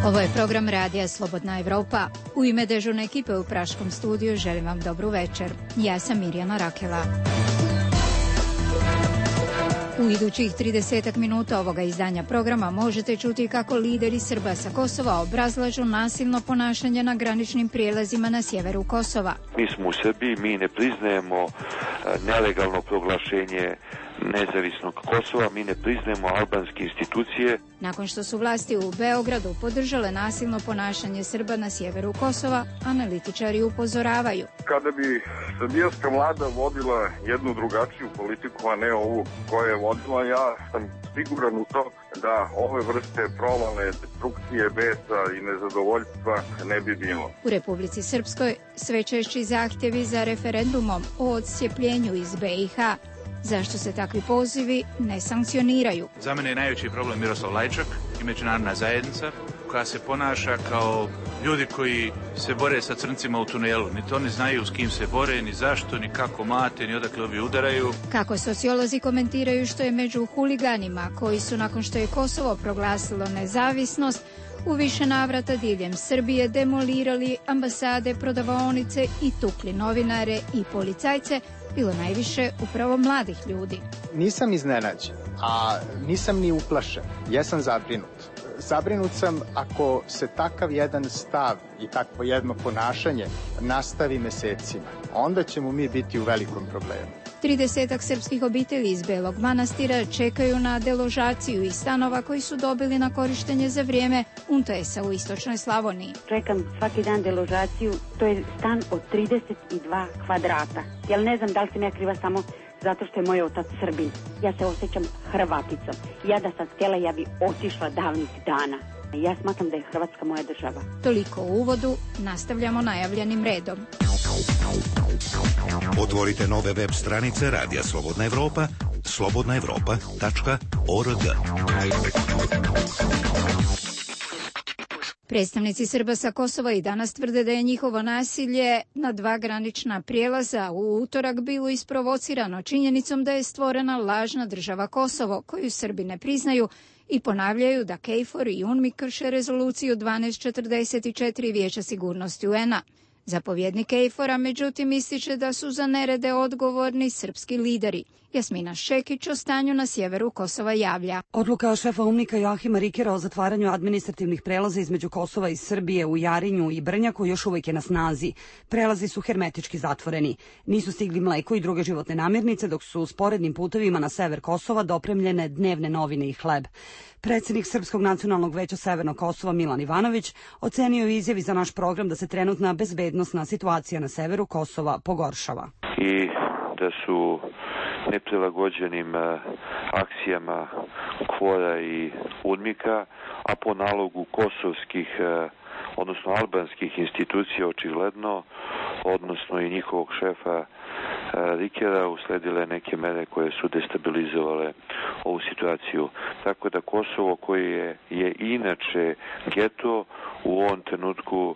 Ovo je program Radija Slobodna Evropa. U ime dežurne ekipe u Praškom studiju želim vam dobru večer. Ja sam Mirjana Rakela. U idućih 30 minuta ovoga izdanja programa možete čuti kako lideri Srba sa Kosova obrazlažu nasilno ponašanje na graničnim prijelazima na sjeveru Kosova. Mi smo u Srbiji, mi ne priznajemo nelegalno proglašenje nezavisnog Kosova, mi ne priznajemo albanske institucije. Nakon što su vlasti u Beogradu podržale nasilno ponašanje Srba na sjeveru Kosova, analitičari upozoravaju. Kada bi srbijanska vlada vodila jednu drugačiju politiku, a ne ovu koju je vodila, ja sam siguran u to da ove vrste provale, destrukcije, besa i nezadovoljstva ne bi bilo. U Republici Srpskoj sve češći zahtjevi za referendumom o odcijepljenju iz BiH. Zašto se takvi pozivi ne sankcioniraju? Za mene je najveći problem Miroslav Lajčak i međunarodna zajednica koja se ponaša kao ljudi koji se bore sa crncima u tunelu. Ni to ne znaju s kim se bore, ni zašto, ni kako mlate, ni odakle ovi udaraju. Kako sociolozi komentiraju što je među huliganima koji su nakon što je Kosovo proglasilo nezavisnost u više navrata diljem Srbije demolirali ambasade, prodavaonice i tukli novinare i policajce, bilo najviše upravo mladih ljudi. Nisam iznenađen, a nisam ni uplašen. Jesam zabrinut. Zabrinut sam ako se takav jedan stav i takvo jedno ponašanje nastavi mesecima. Onda ćemo mi biti u velikom problemu. 30 srpskih obitelji iz Belog Manastira čekaju na deložaciju iz stanova koji su dobili na korištenje za vrijeme UNTS-a u istočnoj Slavoniji. Čekam svaki dan deložaciju, to je stan od 32 kvadrata. Jel ne znam da li sam ja kriva samo zato što je moj otac Srbin. Ja se osjećam Hrvaticom. Ja da sam htjela, ja bi otišla davnih dana. Ja smatram da je Hrvatska moja država. Toliko u uvodu, nastavljamo najavljenim redom. Otvorite nove web stranice Radija Slobodna Evropa, slobodnaevropa.org. Predstavnici Srba sa Kosova i danas tvrde da je njihovo nasilje na dva granična prijelaza u utorak bilo isprovocirano činjenicom da je stvorena lažna država Kosovo, koju Srbi ne priznaju, i ponavljaju da KFOR i UNMIK krše rezoluciju 1244 Vijeća sigurnosti UN-a. Zapovjednik KFOR-a međutim ističe da su za nerede odgovorni srpski lideri. Jasmina Šekić o stanju na sjeveru Kosova javlja. Odluka šefa UNMIK-a Joahima Rikera o zatvaranju administrativnih prelaza između Kosova i Srbije u Jarinju i Brnjaku još uvijek je na snazi. Prelazi su hermetički zatvoreni. Nisu stigli mleko i druge životne namirnice, dok su sporednim putevima na sever Kosova dopremljene dnevne novine i hleb. Predsjednik Srpskog nacionalnog veća Severnog Kosova Milan Ivanović ocenio u izjavi za naš program da se trenutna bezbednosna situacija na severu Kosova pogoršava. I da su neprilagođenim akcijama KFOR-a i UNMIK-a, a po nalogu kosovskih, odnosno albanskih institucija očigledno, odnosno i njihovog šefa Rikera, usledile neke mere koje su destabilizovale ovu situaciju. Tako da Kosovo, koje je inače geto, u ovom trenutku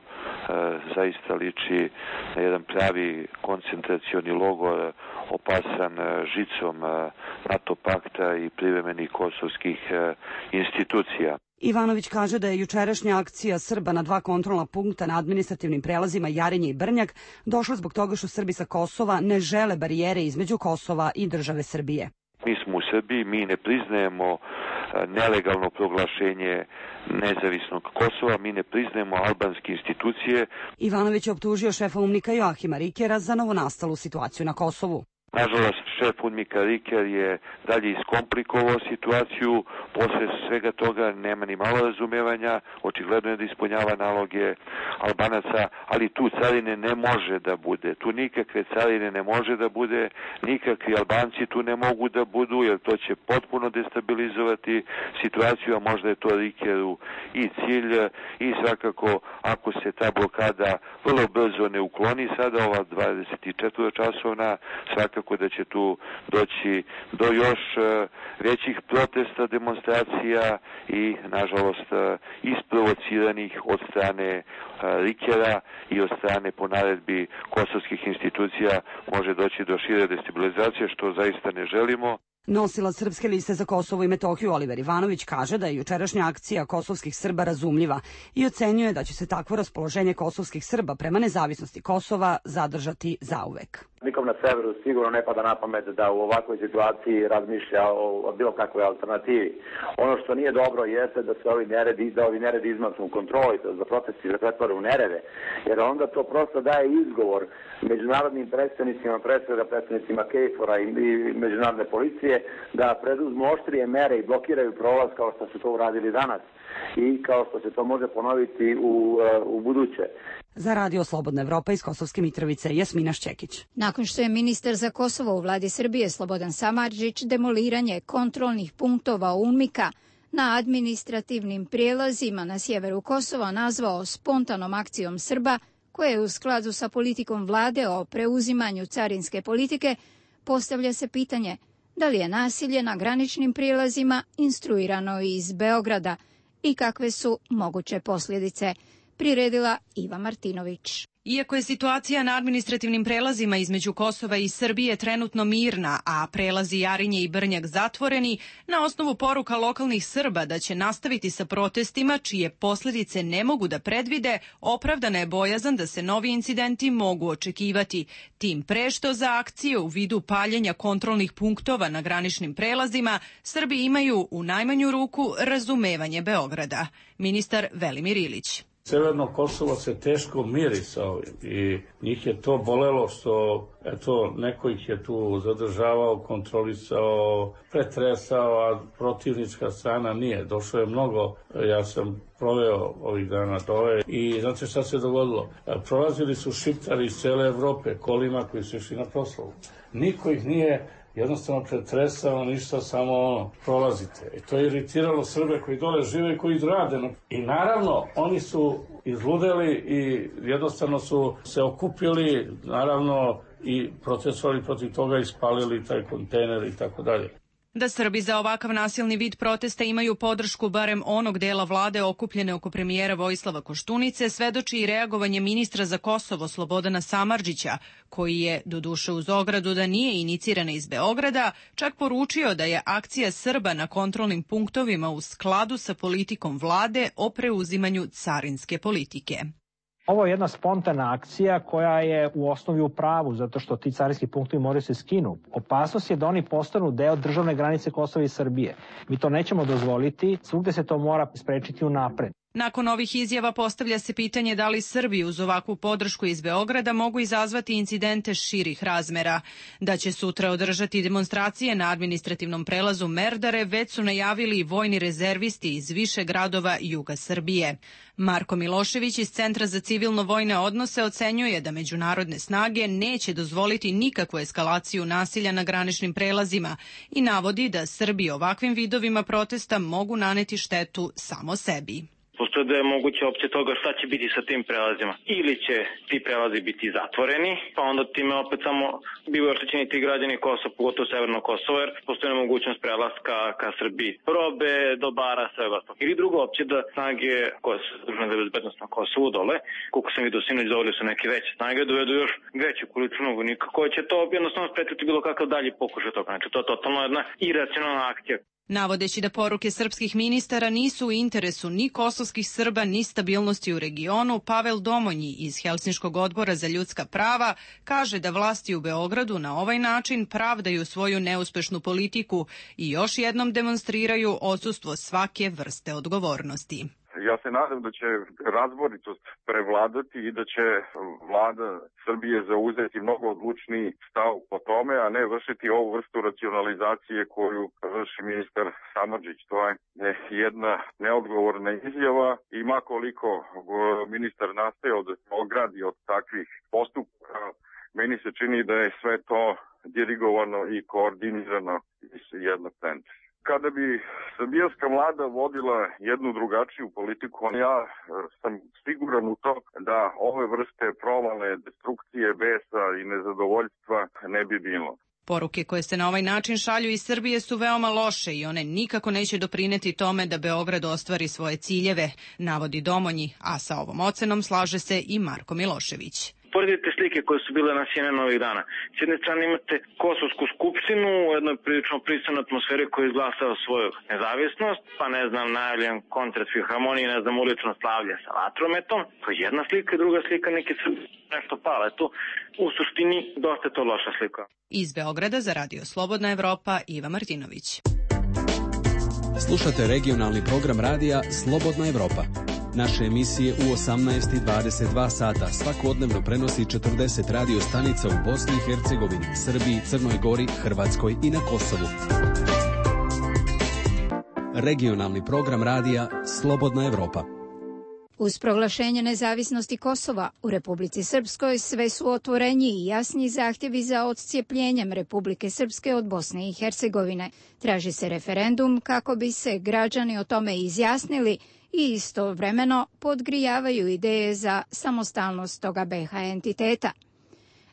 zaista liči na jedan pravi koncentracioni logor opasan žicom NATO pakta i privremenih kosovskih institucija. Ivanović kaže da je jučerašnja akcija Srba na dva kontrolna punkta na administrativnim prelazima Jarinje i Brnjak došla zbog toga što Srbi sa Kosova ne žele barijere između Kosova i države Srbije. Mi smo u Srbiji, mi ne priznajemo nelegalno proglašenje nezavisnog Kosova, mi ne priznajemo albanske institucije. Ivanović je optužio šefa UNMIK-a Joahima Rikera za novonastalu situaciju na Kosovu. Nažalost, šef UNMIK-a Riker je dalje iskomplikovao situaciju, posle svega toga nema ni malo razumevanja, očigledno je da ispunjava naloge Albanaca, ali tu carine ne može da bude, tu nikakve carine ne može da bude, nikakvi Albanci tu ne mogu da budu, jer to će potpuno destabilizovati situaciju, a možda je to Rikeru i cilj, i svakako ako se ta blokada vrlo brzo ne ukloni sada, ova 24 časovna, svakako da će tu doći do još većih protesta, demonstracija i, nažalost, isprovociranih od strane Rikera i od strane po naredbi kosovskih institucija može doći do šire destabilizacije, što zaista ne želimo. Nosilac Srpske liste za Kosovo i Metohiju Oliver Ivanović kaže da je jučerašnja akcija kosovskih Srba razumljiva i ocenjuje da će se takvo raspoloženje kosovskih Srba prema nezavisnosti Kosova zadržati zauvek. Nikom na severu sigurno ne pada na pamet da u ovakvoj situaciji razmišlja o bilo kakvoj alternativi. Ono što nije dobro jeste da se ovi neredi izmaknu u kontroli, da protesti se pretvore u nerede, jer onda to prosto daje izgovor međunarodnim predstavnicima, predstavnicima KFOR-a i međunarodne policije da preduzmu oštrije mere i blokiraju prolaz kao što su to uradili danas i kao što se to može ponoviti u buduće. Za Radio Slobodna Evropa iz Kosovske Mitrovice, Jasmina Šćekić. Nakon što je ministar za Kosovo u vladi Srbije Slobodan Samardžić demoliranje kontrolnih punktova UNMIK-a na administrativnim prijelazima na sjeveru Kosova nazvao spontanom akcijom Srba, koja je u skladu sa politikom vlade o preuzimanju carinske politike, postavlja se pitanje da li je nasilje na graničnim prijelazima instruirano iz Beograda i kakve su moguće posljedice, priredila Iva Martinović. Iako je situacija na administrativnim prelazima između Kosova i Srbije trenutno mirna, a prelazi Jarinje i Brnjak zatvoreni, na osnovu poruka lokalnih Srba da će nastaviti sa protestima čije posljedice ne mogu da predvide, opravdana je bojazan da se novi incidenti mogu očekivati. Tim pre što za akcije u vidu paljenja kontrolnih punktova na graničnim prelazima Srbi imaju u najmanju ruku razumevanje Beograda. Ministar Velimir Ilić. Severno Kosovo se teško miri sa ovim i njih je to bolelo što neko ih je tu zadržavao, kontrolisao, pretresao, a protivnička strana nije. Došlo je mnogo, ja sam proveo ovih dana dole i znate šta se dogodilo? Prolazili su Šiptari iz cele Evrope kolima koji su išli na proslavu. Niko ih nije jednostavno pretresao, ništa, samo prolazite. I to je iritiralo Srbe koji dole žive i koji rade. I naravno, oni su izludeli i jednostavno su se okupili, naravno, i protestovali protiv toga i spalili taj kontejner i tako dalje. Da Srbi za ovakav nasilni vid protesta imaju podršku barem onog dela vlade okupljene oko premijera Vojislava Koštunice svedoči i reagovanje ministra za Kosovo Slobodana Samardžića, koji je, doduše uz ogradu da nije inicirana iz Beograda, čak poručio da je akcija Srba na kontrolnim punktovima u skladu sa politikom vlade o preuzimanju carinske politike. Ovo je jedna spontana akcija koja je u osnovi u pravu, zato što ti carinski punktovi moraju se skinu. Opasnost je da oni postanu deo državne granice Kosova i Srbije. Mi to nećemo dozvoliti, svugde se to mora sprečiti unapred. Nakon ovih izjava postavlja se pitanje da li Srbi uz ovakvu podršku iz Beograda mogu izazvati incidente širih razmera. Da će sutra održati demonstracije na administrativnom prelazu Merdare već su najavili vojni rezervisti iz više gradova juga Srbije. Marko Milošević iz Centra za civilno-vojne odnose ocenjuje da međunarodne snage neće dozvoliti nikakvu eskalaciju nasilja na graničnim prelazima i navodi da Srbi ovakvim vidovima protesta mogu naneti štetu samo sebi. Postoje da je moguće opcija toga šta će biti sa tim prelazima. Ili će ti prelazi biti zatvoreni, pa onda time opet samo bivaju oštećeni ti građani Kosova, pogotovo Severno Kosovo, jer postoje mogućnost prelaska ka Srbiji. Robe, dobara, svega ostalo. Ili druga opcija da snage koje su dužne za bezbednost na Kosovu dole, koliko sam vidio sinoć dovoljno su neke veće snage, dovedu još veću količinu vojnika koje će to jednostavno spretiti bilo kakav dalji pokušaj toga. Znači to je totalno jedna iracionalna akcija. Navodeći da poruke srpskih ministara nisu u interesu ni kosovskih Srba ni stabilnosti u regionu, Pavel Domonji iz Helsinškog odbora za ljudska prava kaže da vlasti u Beogradu na ovaj način pravdaju svoju neuspešnu politiku i još jednom demonstriraju odsustvo svake vrste odgovornosti. Ja se nadam da će razboritost prevladati i da će vlada Srbije zauzeti mnogo odlučniji stav po tome, a ne vršiti ovu vrstu racionalizacije koju vrši ministar Samardžić. To je jedna neodgovorna izjava i makoliko ministar nastojao da se ogradi od takvih postupaka, meni se čini da je sve to dirigovano i koordinirano iz jednog centra. Kada bi srbijanska vlada vodila jednu drugačiju politiku, ja sam siguran u to da ove vrste provale, destrukcije, besa i nezadovoljstva ne bi bilo. Poruke koje se na ovaj način šalju iz Srbije su veoma loše i one nikako neće doprineti tome da Beograd ostvari svoje ciljeve, navodi Domonji, a sa ovom ocenom slaže se i Marko Milošević. Uporedite slike koje su bile na CNN ovih dana. S jedne strane imate Kosovsku skupštinu u jednoj prilično pristojnoj atmosferi koji je izglasao svoju nezavisnost, pa ne znam, najavljen koncert filharmonije, ne znam, ulično slavlje sa vatrometom. To je jedna slika i druga slika, neki Srbi nešto pale. Tu u suštini dosta je to loša slika. Iz Beograda za Radio Slobodna Evropa, Iva Martinović. Slušate regionalni program radija Slobodna Evropa. Naše emisije u 18:22 sata svakodnevno prenosi 40 radio stanica u Bosni i Hercegovini, Srbiji, Crnoj Gori, Hrvatskoj i na Kosovu. Regionalni program radija Slobodna Evropa. Uz proglašenje nezavisnosti Kosova u Republici Srpskoj sve su otvoreniji i jasniji zahtjevi za odcijepljenjem Republike Srpske od Bosne i Hercegovine. Traži se referendum kako bi se građani o tome izjasnili i istovremeno podgrijavaju ideje za samostalnost toga BiH entiteta.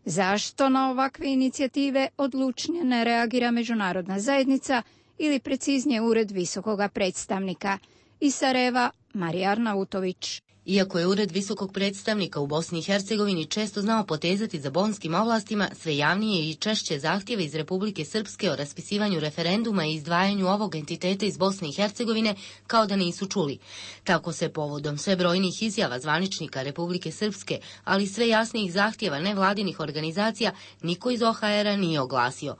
Zašto na ovakve inicijative odlučnije ne reagira međunarodna zajednica ili preciznije Ured visokoga predstavnika? Iz Sarajeva, Marija Arnautović. Iako je Ured visokog predstavnika u Bosni i Hercegovini često znao potezati za bonskim ovlastima, sve javnije i češće zahtjeve iz Republike Srpske o raspisivanju referenduma i izdvajanju ovog entiteta iz Bosne i Hercegovine kao da nisu čuli. Tako se povodom sve brojnih izjava zvaničnika Republike Srpske, ali sve jasnijih zahtjeva nevladinih organizacija, niko iz OHR-a nije oglasio.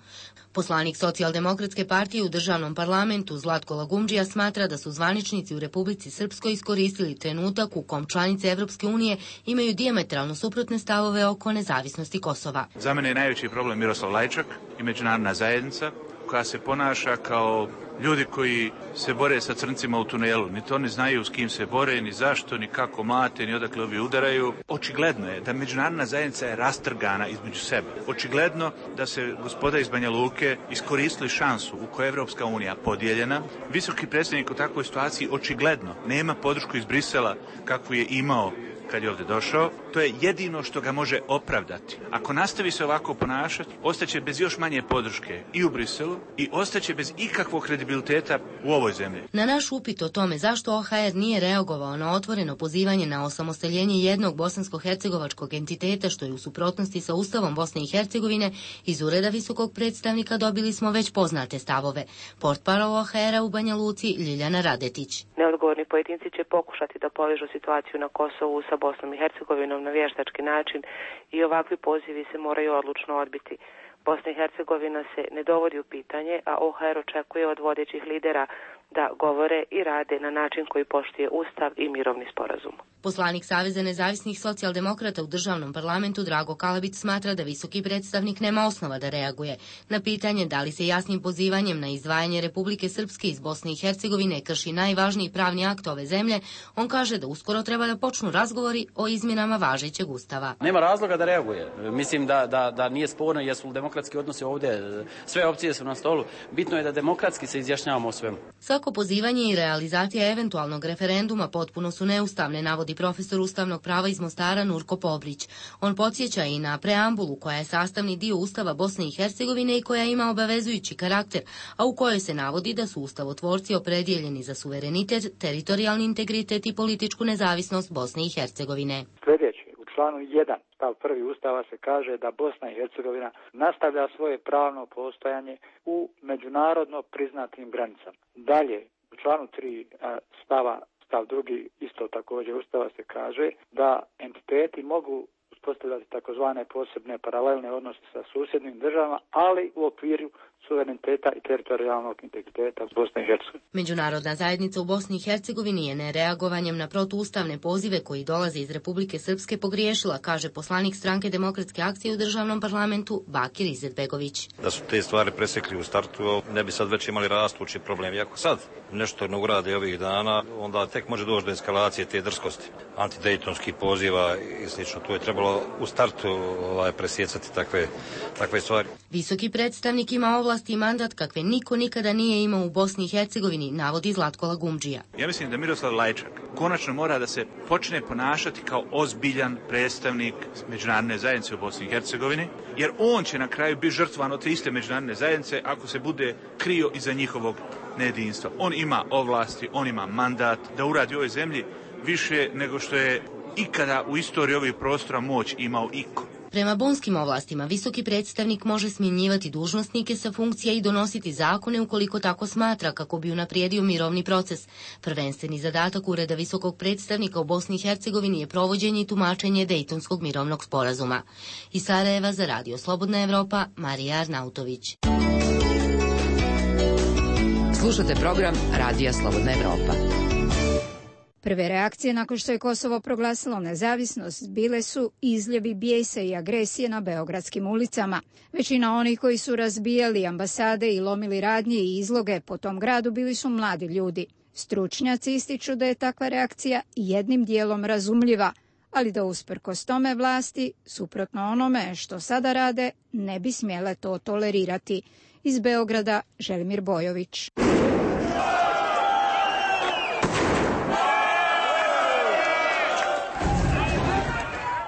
Poslanik Socijaldemokratske partije u državnom parlamentu Zlatko Lagumdžija smatra da su zvaničnici u Republici Srpskoj iskoristili trenutak u kom članice Evropske unije imaju dijametralno suprotne stavove oko nezavisnosti Kosova. Za mene je najveći problem Miroslav Lajčak i međunarodna zajednica koja se ponaša kao ljudi koji se bore sa crncima u tunelu. Ni to ne znaju s kim se bore, ni zašto, ni kako mlate, ni odakle ovi udaraju. Očigledno je da međunarodna zajednica je rastrgana između sebe. Očigledno da se gospoda iz Banja Luke iskoristili šansu u kojoj je Evropska unija podijeljena. Visoki predstavnik u takvoj situaciji očigledno nema podršku iz Brisela kakvu je imao kad je ovdje došao. To je jedino što ga može opravdati. Ako nastavi se ovako ponašati, ostaće bez još manje podrške i u Briselu i ostaće bez ikakvog kredibiliteta u ovoj zemlji. Na naš upit o tome zašto OHR nije reagovao na otvoreno pozivanje na osamostaljenje jednog bosansko-hercegovačkog entiteta što je u suprotnosti sa Ustavom Bosne i Hercegovine, iz Ureda visokog predstavnika dobili smo već poznate stavove. Portparol OHR-a u Banja Luci Ljiljana Radetić. Neodgovorni pojedinci će pokušati da povežu situaciju na Kosovu sa Bosnom i Hercegovinom na vještački način i ovakvi pozivi se moraju odlučno odbiti. Bosna i Hercegovina se ne dovodi u pitanje, a OHR očekuje od vodećih lidera da govore i rade na način koji poštuje Ustav i mirovni sporazum. Poslanik Saveza nezavisnih socijaldemokrata u državnom parlamentu Drago Kalabić smatra da visoki predstavnik nema osnova da reaguje. Na pitanje da li se jasnim pozivanjem na izdvajanje Republike Srpske iz Bosne i Hercegovine krši najvažniji pravni akt ove zemlje, on kaže da uskoro treba da počnu razgovori o izmjenama važećeg Ustava. Nema razloga da reaguje. Mislim da nije sporno jesu li demokratski odnosi ovdje. Sve opcije su na stolu. Bitno je da demokratski se izjašnjavamo o svemu. Svako pozivanje i realizacija eventualnog referenduma potpuno su neustavne, navodi profesor ustavnog prava iz Mostara Nurko Pobrić. On podsjeća i na preambulu koja je sastavni dio Ustava Bosne i Hercegovine i koja ima obavezujući karakter, a u kojoj se navodi da su ustavotvorci opredjeljeni za suverenitet, teritorijalni integritet i političku nezavisnost Bosne i Hercegovine. Sljedeće, u članu 1 stav 1 Ustava se kaže da Bosna i Hercegovina nastavlja svoje pravno postojanje u međunarodno priznatim granicama. Dalje, u članu 3 stav 2 isto također Ustava se kaže da entiteti mogu uspostavljati takozvane posebne paralelne odnose sa susjednim državama, ali u okviru suvereniteta i teritorijalnog integriteta Bosne i Hercegovine. Međunarodna zajednica u Bosni i Hercegovini je nereagovanjem na protuustavne pozive koji dolaze iz Republike Srpske pogriješila, kaže poslanik Stranke demokratske akcije u državnom parlamentu Bakir Izetbegović. Da su te stvari presekli u startu, ne bi sad već imali rastući problem. Iako sad nešto ne urade ovih dana, onda tek može doći do eskalacije te drskosti. Antidejtonskih poziva i slično. Tu je trebalo u startu presjecati takve stvari. Visoki predstavnik ima ovlasti i mandat kakve niko nikada nije imao u Bosni i Hercegovini, navodi Zlatko Lagumdžija. Ja mislim da Miroslav Lajčak konačno mora da se počne ponašati kao ozbiljan predstavnik međunarodne zajednice u Bosni i Hercegovini, jer on će na kraju biti žrtvan od te iste međunarodne zajednice ako se bude krio iza njihovog nejedinstva. On ima ovlasti, on ima mandat da uradi u ovoj zemlji više nego što je ikada u istoriji ovih prostora moć imao iko. Prema bonskim ovlastima, visoki predstavnik može smjenjivati dužnosnike sa funkcija i donositi zakone ukoliko tako smatra kako bi unaprijedio mirovni proces. Prvenstveni zadatak Ureda visokog predstavnika u Bosni i Hercegovini je provođenje i tumačenje Dejtonskog mirovnog sporazuma. Iz Sarajeva za Radio Slobodna Evropa, Marija Arnautović. Slušate program Radija Slobodna Evropa. Prve reakcije nakon što je Kosovo proglasilo nezavisnost bile su izljevi bijesa i agresije na beogradskim ulicama. Većina onih koji su razbijali ambasade i lomili radnje i izloge po tom gradu bili su mladi ljudi. Stručnjaci ističu da je takva reakcija jednim dijelom razumljiva, ali da usprkos tome vlasti, suprotno onome što sada rade, ne bi smjele to tolerirati. Iz Beograda, Želimir Bojović.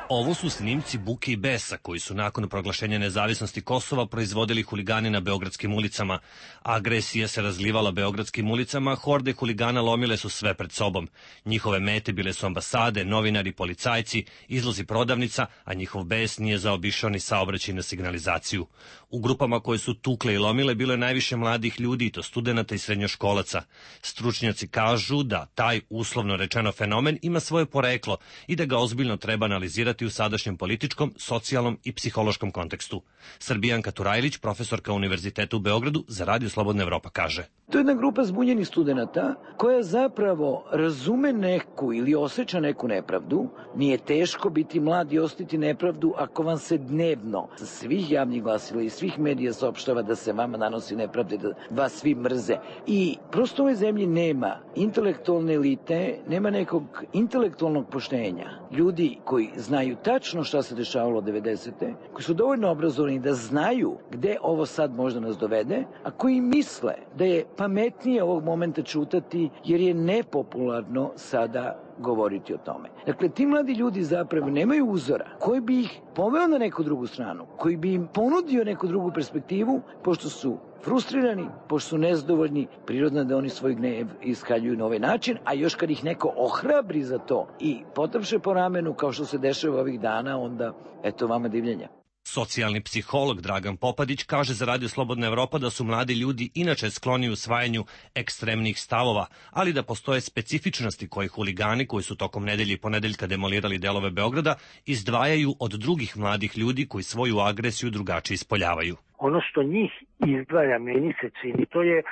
Ovo su snimci buke i besa koji su nakon proglašenja nezavisnosti Kosova proizvodili huligani na beogradskim ulicama. Agresija se razlivala beogradskim ulicama, horde huligana lomile su sve pred sobom. Njihove mete bile su ambasade, novinari, policajci, izlozi prodavnica, a njihov bes nije zaobišao ni saobraćajnu signalizaciju. U grupama koje su tukle i lomile bilo je najviše mladih ljudi, i to studenata i srednjoškolaca. Stručnjaci kažu da taj uslovno rečeno fenomen ima svoje poreklo i da ga ozbiljno treba analizirati u sadašnjem političkom, socijalnom i psihološkom kontekstu. Srbijanka Turajlić, profesorka Univerziteta u Beogradu, za Radio Slobodna Evropa kaže: To je jedna grupa zbunjenih studenata koja zapravo razume neku ili osjeća neku nepravdu. Nije teško biti mlad i osjetiti nepravdu ako vam se dnevno sa svih javnih glasila i svih medija saopštava da se vama nanosi nepravde, da vas svi mrze. I prosto u ovoj zemlji nema intelektualne elite, nema nekog intelektualnog poštenja. Ljudi koji znaju tačno šta se dešavalo 90. koji su dovoljno obrazovani da znaju gde ovo sad možda nas dovede, a koji misle da je pametnije ovog momenta čutati jer je nepopularno sada govoriti o tome. Dakle, ti mladi ljudi zapravo nemaju uzora koji bi ih poveo na neku drugu stranu, koji bi im ponudio neku drugu perspektivu, pošto su frustrirani, pošto su nezadovoljni, prirodno da oni svoj gnev iskaljuju na ovaj način, a još kad ih neko ohrabri za to i potapše po ramenu, kao što se dešava ovih dana, onda eto vama divljenja. Socijalni psiholog Dragan Popadić kaže za Radio Slobodna Evropa da su mladi ljudi inače skloni usvajanju ekstremnih stavova, ali da postoje specifičnosti koje huligani koji su tokom nedelje i ponedeljka demolirali delove Beograda izdvajaju od drugih mladih ljudi koji svoju agresiju drugačije ispoljavaju. Ono što njih izdvaja, meni se čini, to je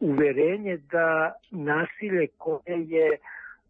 uverenje da nasilje koje je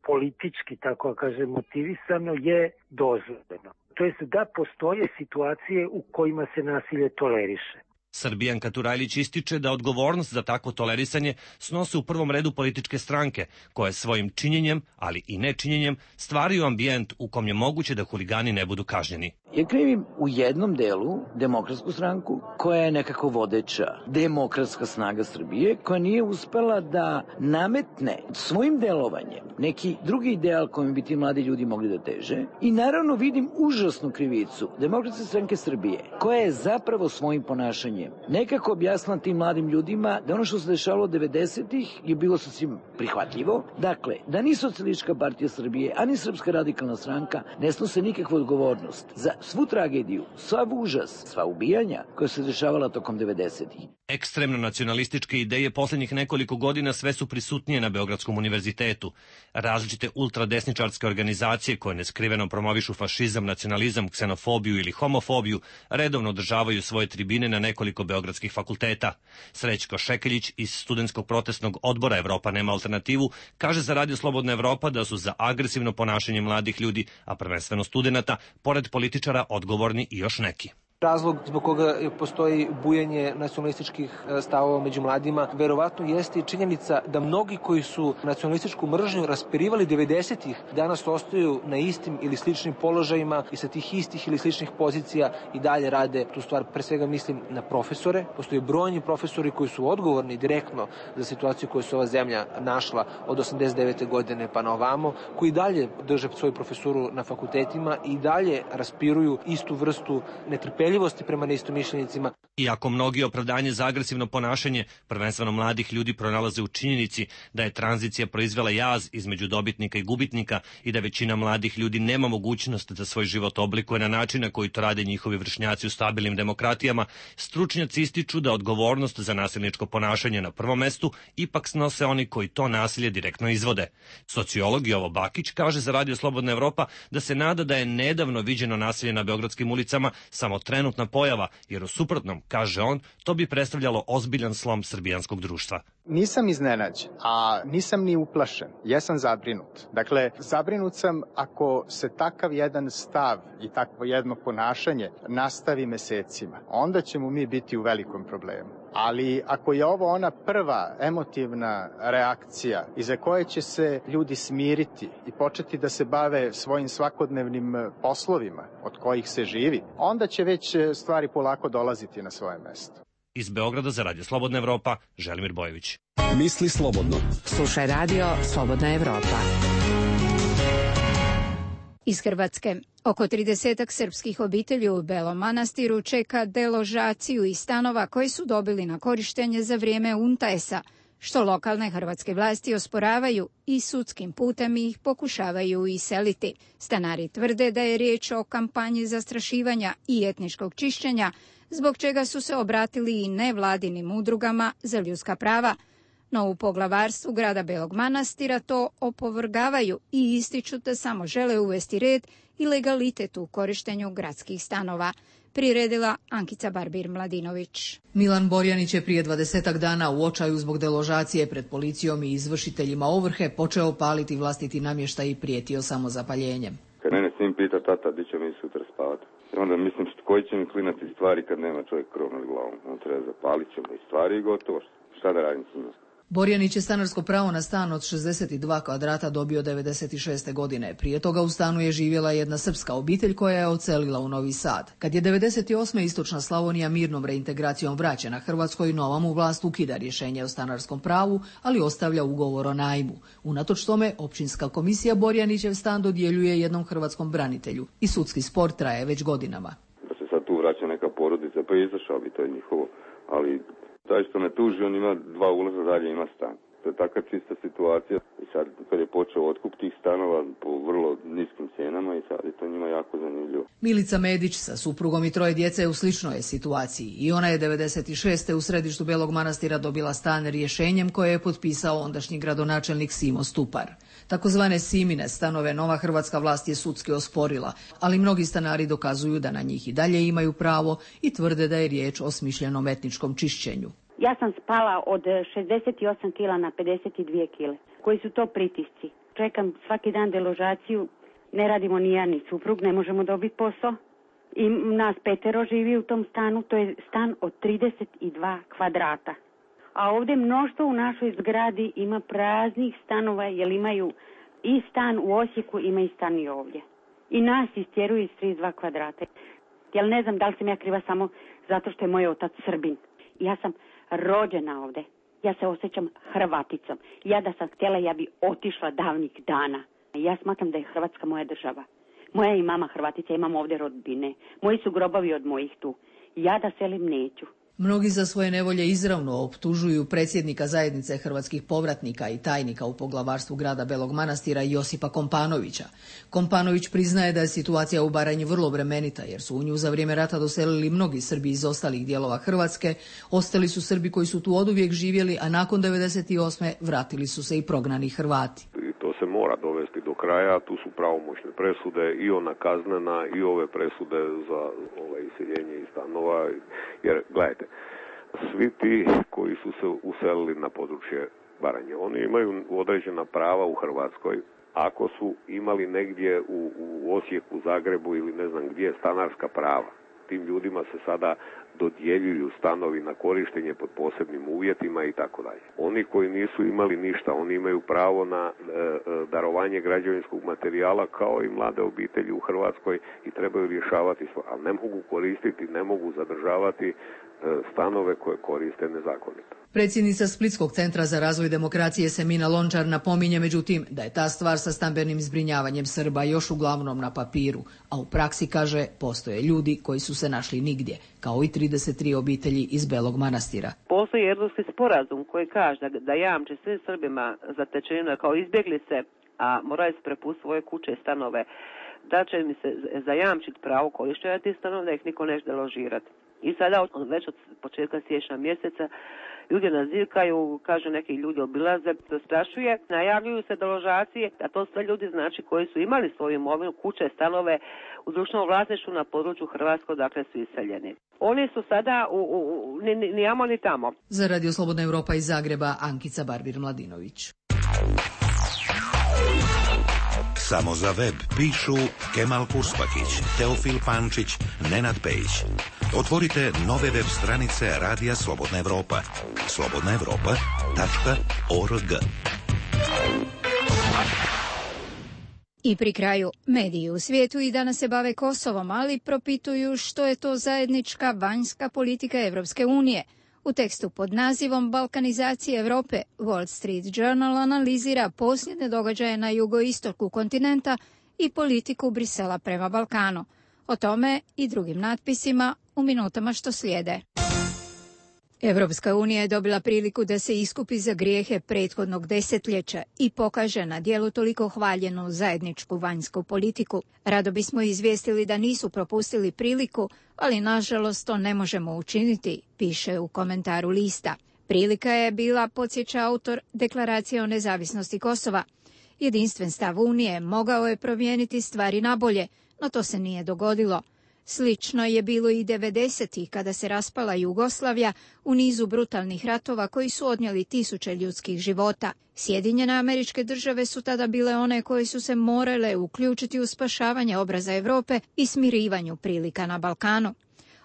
politički, tako kažem, motivisano je dozvoljeno. To jest da postoje situacije u kojima se nasilje toleriše. Srbijanka Turajlić ističe da odgovornost za takvo tolerisanje snose u prvom redu političke stranke, koje svojim činjenjem, ali i nečinjenjem, stvaraju ambijent u kom je moguće da huligani ne budu kažnjeni. Ja krivim u jednom delu Demokratsku stranku, koja je nekako vodeća demokratska snaga Srbije, koja nije uspela da nametne svojim delovanjem neki drugi ideal kojim bi ti mladi ljudi mogli da teže. I naravno vidim užasnu krivicu Demokratske stranke Srbije, koja je zapravo svojim ponašanjem nekako objasnila tim mladim ljudima da ono što se dešavalo 90-ih je bilo sasvim prihvatljivo. Dakle, da ni Socijalistička partija Srbije, ani Srpska radikalna stranka ne snose nikakvu odgovornost za svu tragediju, sav užas, sva ubijanja koja se dešavala tokom 90-ih. Ekstremno nacionalističke ideje posljednjih nekoliko godina sve su prisutnije na Beogradskom univerzitetu. Različite ultradesničarske organizacije koje neskriveno promovišu fašizam, nacionalizam, ksenofobiju ili homofobiju redovno održavaju svoje tribine na nekoliko beogradskih fakulteta. Srećko Šekeljić iz Studentskog protestnog odbora Evropa nema alternativu kaže za Radio Slobodna Evropa da su za agresivno ponašanje mladih ljudi, a prvenstveno studenata, pored političara odgovorni i još neki. Razlog zbog koga postoji bujanje nacionalističkih stavova među mladima verovatno jeste i činjenica da mnogi koji su nacionalističku mržnju raspirivali 90-ih danas ostaju na istim ili sličnim položajima i sa tih istih ili sličnih pozicija i dalje rade tu stvar. Pre svega mislim na profesore. Postoje brojni profesori koji su odgovorni direktno za situaciju koju se ova zemlja našla od 89. godine pa na ovamo, koji dalje drže svoju profesuru na fakultetima i dalje raspiruju istu vrstu netrpeljivosti potrpeljivosti prema neistomišljenicima. Iako mnogi opravdanje za agresivno ponašanje, prvenstveno mladih ljudi, pronalaze u činjenici da je tranzicija proizvela jaz između dobitnika i gubitnika i da većina mladih ljudi nema mogućnost da svoj život oblikuje na način na koji to rade njihovi vršnjaci u stabilnim demokratijama, stručnjaci ističu da odgovornost za nasilničko ponašanje na prvom mestu ipak snose oni koji to nasilje direktno izvode. Sociolog Jovo Bakić kaže za Radio Slobodna Evropa da se nada da je nedavno viđeno nasilje na beogradskim ulicama samo trenutna pojava, jer u suprotnom, kaže on, to bi predstavljalo ozbiljan slom srbijanskog društva. Nisam iznenađen, a nisam ni uplašen. Jesam zabrinut. Dakle, zabrinut sam ako se takav jedan stav i takvo jedno ponašanje nastavi mesecima. Onda ćemo mi biti u velikom problemu. Ali ako je ovo ona prva emotivna reakcija iza koje će se ljudi smiriti i početi da se bave svojim svakodnevnim poslovima od kojih se živi, onda će već stvari polako dolaziti na svoje mesto. Iz Beograda za Radio Slobodna Evropa, Želimir Bojević. Misli slobodno. Slušaj Radio Slobodna Evropa. Iz Hrvatske. Oko 30 srpskih obitelji u Belom Manastiru čeka deložaciju iz stanova koji su dobili na korištenje za vrijeme UNTAES-a, što lokalne hrvatske vlasti osporavaju i sudskim putem ih pokušavaju iseliti. Stanari tvrde da je riječ o kampanji zastrašivanja i etničkog čišćenja, zbog čega su se obratili i nevladinim udrugama za ljudska prava. No u poglavarstvu grada Belog Manastira to opovrgavaju i ističu da samo žele uvesti red i legalitet u korištenju gradskih stanova. Priredila Ankica Barbir-Mladinović. Milan Borjanić je prije 20 dana u očaju zbog deložacije pred policijom i izvršiteljima ovrhe počeo paliti vlastiti namještaj i prijetio samozapaljenjem. Kad mene sin pita, tata, di će mi sutra spavati? Onda mislim, koji će mi klinati stvari kad nema čovjek krov nad glavom? On treba zapalit ćemo i stvari i gotovo. Šta da radim s njima? Borjanić je stanarsko pravo na stan od 62 kvadrata dobio 96. godine. Prije toga u stanu je živjela jedna srpska obitelj koja je odselila u Novi Sad. Kad je 98. istočna Slavonija mirnom reintegracijom vraćena Hrvatskoj, nova mu vlast ukida rješenje o stanarskom pravu, ali ostavlja ugovor o najmu. Unatoč tome, općinska komisija Borjanićev stan dodjeljuje jednom hrvatskom branitelju i sudski spor traje već godinama. Da se sad tu vraća neka porodica, pa je izašao bi, to je njihovo, ali taj što me tuži, on ima 2 ulaza dalje, ima stan. To je taka čista situacija i sad kad je počeo otkup tih stanova po vrlo niskim cijenama i sad je to njima jako zanimljivo. Milica Medić sa suprugom i 3 djece u sličnoj je situaciji i ona je 96. u središtu Belog Manastira dobila stan rješenjem koje je potpisao ondašnji gradonačelnik Simo Stupar. Takozvane Simine stanove nova hrvatska vlast je sudski osporila, ali mnogi stanari dokazuju da na njih i dalje imaju pravo i tvrde da je riječ o smišljenom etničkom čišćenju. Ja sam spala od 68 kila na 52 kile. Koji su to pritisci? Čekam svaki dan deložaciju, ne radimo ni ja ni suprug, ne možemo dobiti posao. I nas 5 živi u tom stanu, to je stan od 32 kvadrata. A ovdje mnoštvo u našoj zgradi ima praznih stanova, jer imaju i stan u Osijeku, ima i stan i ovdje. I nas istjeruju iz 32 kvadrata. Jer ne znam da li sam ja kriva samo zato što je moj otac Srbin. Ja sam rođena ovdje. Ja se osjećam Hrvaticom. Ja da sam htjela, ja bi otišla davnih dana. Ja smatram da je Hrvatska moja država. Moja i mama Hrvatica, imam ovdje rodbine. Moji su grobovi od mojih tu. Ja da selim neću. Mnogi za svoje nevolje izravno optužuju predsjednika zajednice hrvatskih povratnika i tajnika u poglavarstvu grada Belog Manastira Josipa Kompanovića. Kompanović priznaje da je situacija u Baranji vrlo bremenita, jer su u nju za vrijeme rata doselili mnogi Srbi iz ostalih dijelova Hrvatske, ostali su Srbi koji su tu oduvijek živjeli, a nakon 98. vratili su se i prognani Hrvati. To se mora dovesti do kraja, tu su pravomoćne presude i ona kaznena i ove presude za iseljenje iz stanova, jer gledajte, svi ti koji su se uselili na područje Baranje, oni imaju određena prava u Hrvatskoj. Ako su imali negdje u Osijeku, Zagrebu ili ne znam gdje stanarska prava, tim ljudima se sada dodjeljuju stanovi na korištenje pod posebnim uvjetima i tako dalje. Oni koji nisu imali ništa, oni imaju pravo na darovanje građevinskog materijala kao i mlade obitelji u Hrvatskoj i trebaju rješavati, ali ne mogu koristiti, ne mogu zadržavati stanove koje koriste nezakonito. Predsjednica Splitskog centra za razvoj demokracije Semina Lončar napominje međutim da je ta stvar sa stambenim zbrinjavanjem Srba još uglavnom na papiru, a u praksi, kaže, postoje ljudi koji su se našli nigdje, kao i 33 obitelji iz Belog Manastira. Postoji Erdutski sporazum koji kaže da jamči svim Srbima zatečenima kao izbjeglice, a moraju se prepustiti svoje kuće i stanove, da će mi se zajamčiti pravo korištenja tih stanova, da ih niko neće deložirati. I sada već od početka siječnja mjeseca ljudi nazivkaju, kažu neki ljudi obilaze, zastrašuje, najavljuju se deložacije, a to sve ljudi znači koji su imali svoju imovinu, kuće, stanove u društvenom vlasništvu na području Hrvatskog, dakle su iseljeni. Oni su sada ni amo ni tamo. Za Radio Slobodna Evropa iz Zagreba, Ankica Barbir-Mladinović. Samo za web pišu Kemal Kurspakić, Teofil Pančić, Nenad Pejić. Otvorite nove web stranice Radija Slobodna Evropa. slobodnaevropa.org. I pri kraju, mediji u svijetu i danas se bave Kosovom, ali propituju što je to zajednička vanjska politika Evropske unije. U tekstu pod nazivom Balkanizacije Evrope, Wall Street Journal analizira posljednje događaje na jugoistoku kontinenta i politiku Brisela prema Balkanu. O tome i drugim natpisima u minutama što slijede. Evropska unija je dobila priliku da se iskupi za grijehe prethodnog desetljeća i pokaže na djelu toliko hvaljenu zajedničku vanjsku politiku. Rado bismo izvijestili da nisu propustili priliku, ali nažalost to ne možemo učiniti, piše u komentaru lista. Prilika je bila, podsjeća autor, Deklaracije o nezavisnosti Kosova. Jedinstven stav Unije mogao je promijeniti stvari nabolje, no to se nije dogodilo. Slično je bilo i 90-ih kada se raspala Jugoslavija u nizu brutalnih ratova koji su odnijeli tisuće ljudskih života. Sjedinjene Američke Države su tada bile one koje su se morale uključiti u spašavanje obraza Europe i smirivanju prilika na Balkanu.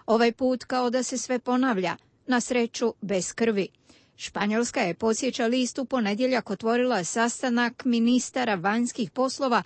Ovaj put kao da se sve ponavlja, na sreću bez krvi. Španjolska je, podsjeća list, u ponedjeljak otvorila sastanak ministara vanjskih poslova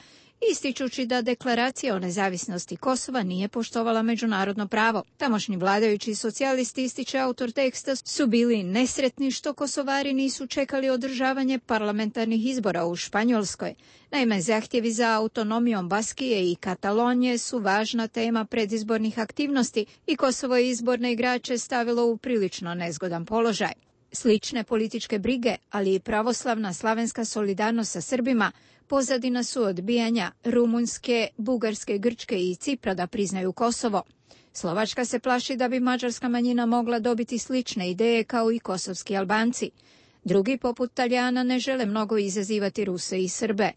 ističući da deklaracija o nezavisnosti Kosova nije poštovala međunarodno pravo. Tamošnji vladajući socijalisti, ističe autor teksta, su bili nesretni što Kosovari nisu čekali održavanje parlamentarnih izbora u Španjolskoj. Naime, zahtjevi za autonomijom Baskije i Katalonije su važna tema predizbornih aktivnosti i Kosovo je izborne igrače stavilo u prilično nezgodan položaj. Slične političke brige, ali i pravoslavna slavenska solidarnost sa Srbima pozadina su odbijanja Rumunjske, Bugarske, Grčke i Cipra da priznaju Kosovo. Slovačka se plaši da bi mađarska manjina mogla dobiti slične ideje kao i kosovski Albanci. Drugi, poput Talijana, ne žele mnogo izazivati Ruse i Srbe.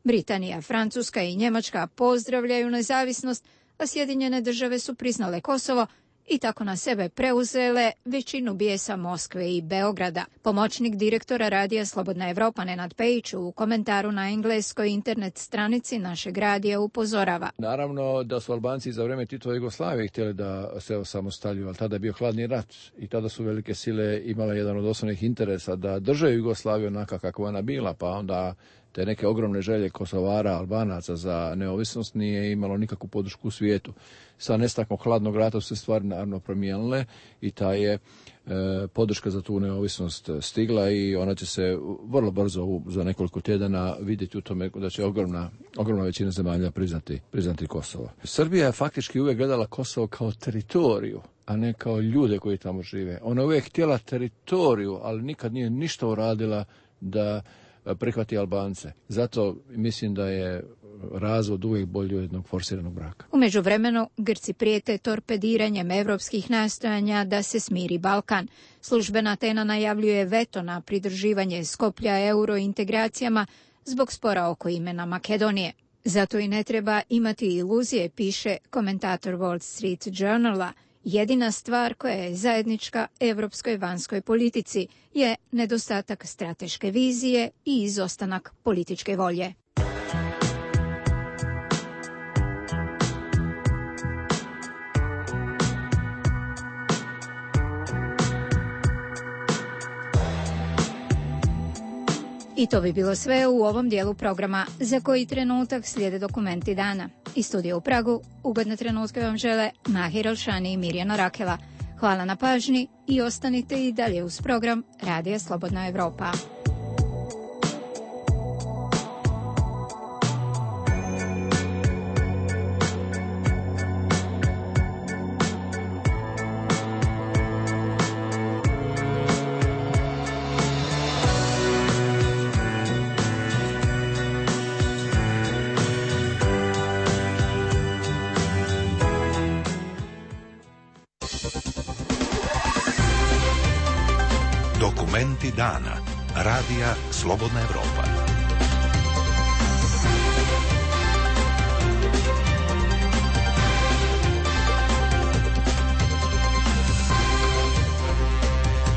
Britanija, Francuska i Njemačka pozdravljaju nezavisnost, a Sjedinjene Države su priznale Kosovo i tako na sebe preuzele većinu bijesa Moskve i Beograda. Pomoćnik direktora Radija Slobodna Evropa Nenad Pejić u komentaru na engleskoj internet stranici našeg radija upozorava. Naravno da su Albanci za vrijeme Titove Jugoslavije htjeli da se osamostaljuju, ali tada je bio hladni rat i tada su velike sile imale jedan od osnovnih interesa da drže Jugoslaviju onaka kakva ona bila, pa onda te neke ogromne želje Kosovara, Albanaca za neovisnost nije imalo nikakvu podršku u svijetu. Sa nestankom hladnog rata su se stvari naravno promijenile i ta je podrška za tu neovisnost stigla i ona će se vrlo brzo za nekoliko tjedana vidjeti u tome da će ogromna većina zemalja priznati Kosovo. Srbija je faktički uvijek gledala Kosovo kao teritoriju, a ne kao ljude koji tamo žive. Ona je uvijek htjela teritoriju, ali nikad nije ništa uradila da prihvati Albance. Zato mislim da je razvod uvijek bolji od jednog forsiranog braka. U međuvremenu Grci prijete torpediranjem evropskih nastojanja da se smiri Balkan. Službena Atena najavljuje veto na pridruživanje Skoplja eurointegracijama zbog spora oko imena Makedonije. Zato i ne treba imati iluzije, piše komentator Wall Street Journala. Jedina stvar koja je zajednička evropskoj vanjskoj politici je nedostatak strateške vizije i izostanak političke volje. I to bi bilo sve u ovom dijelu programa. Za koji trenutak slijede dokumenti dana. Iz studija u Pragu ugodne trenutke vam žele Mahir Alšani i Mirjana Rakela. Hvala na pažnji i ostanite i dalje uz program Radija Slobodna Evropa. Dokumenti dana. Radija Slobodna Evropa.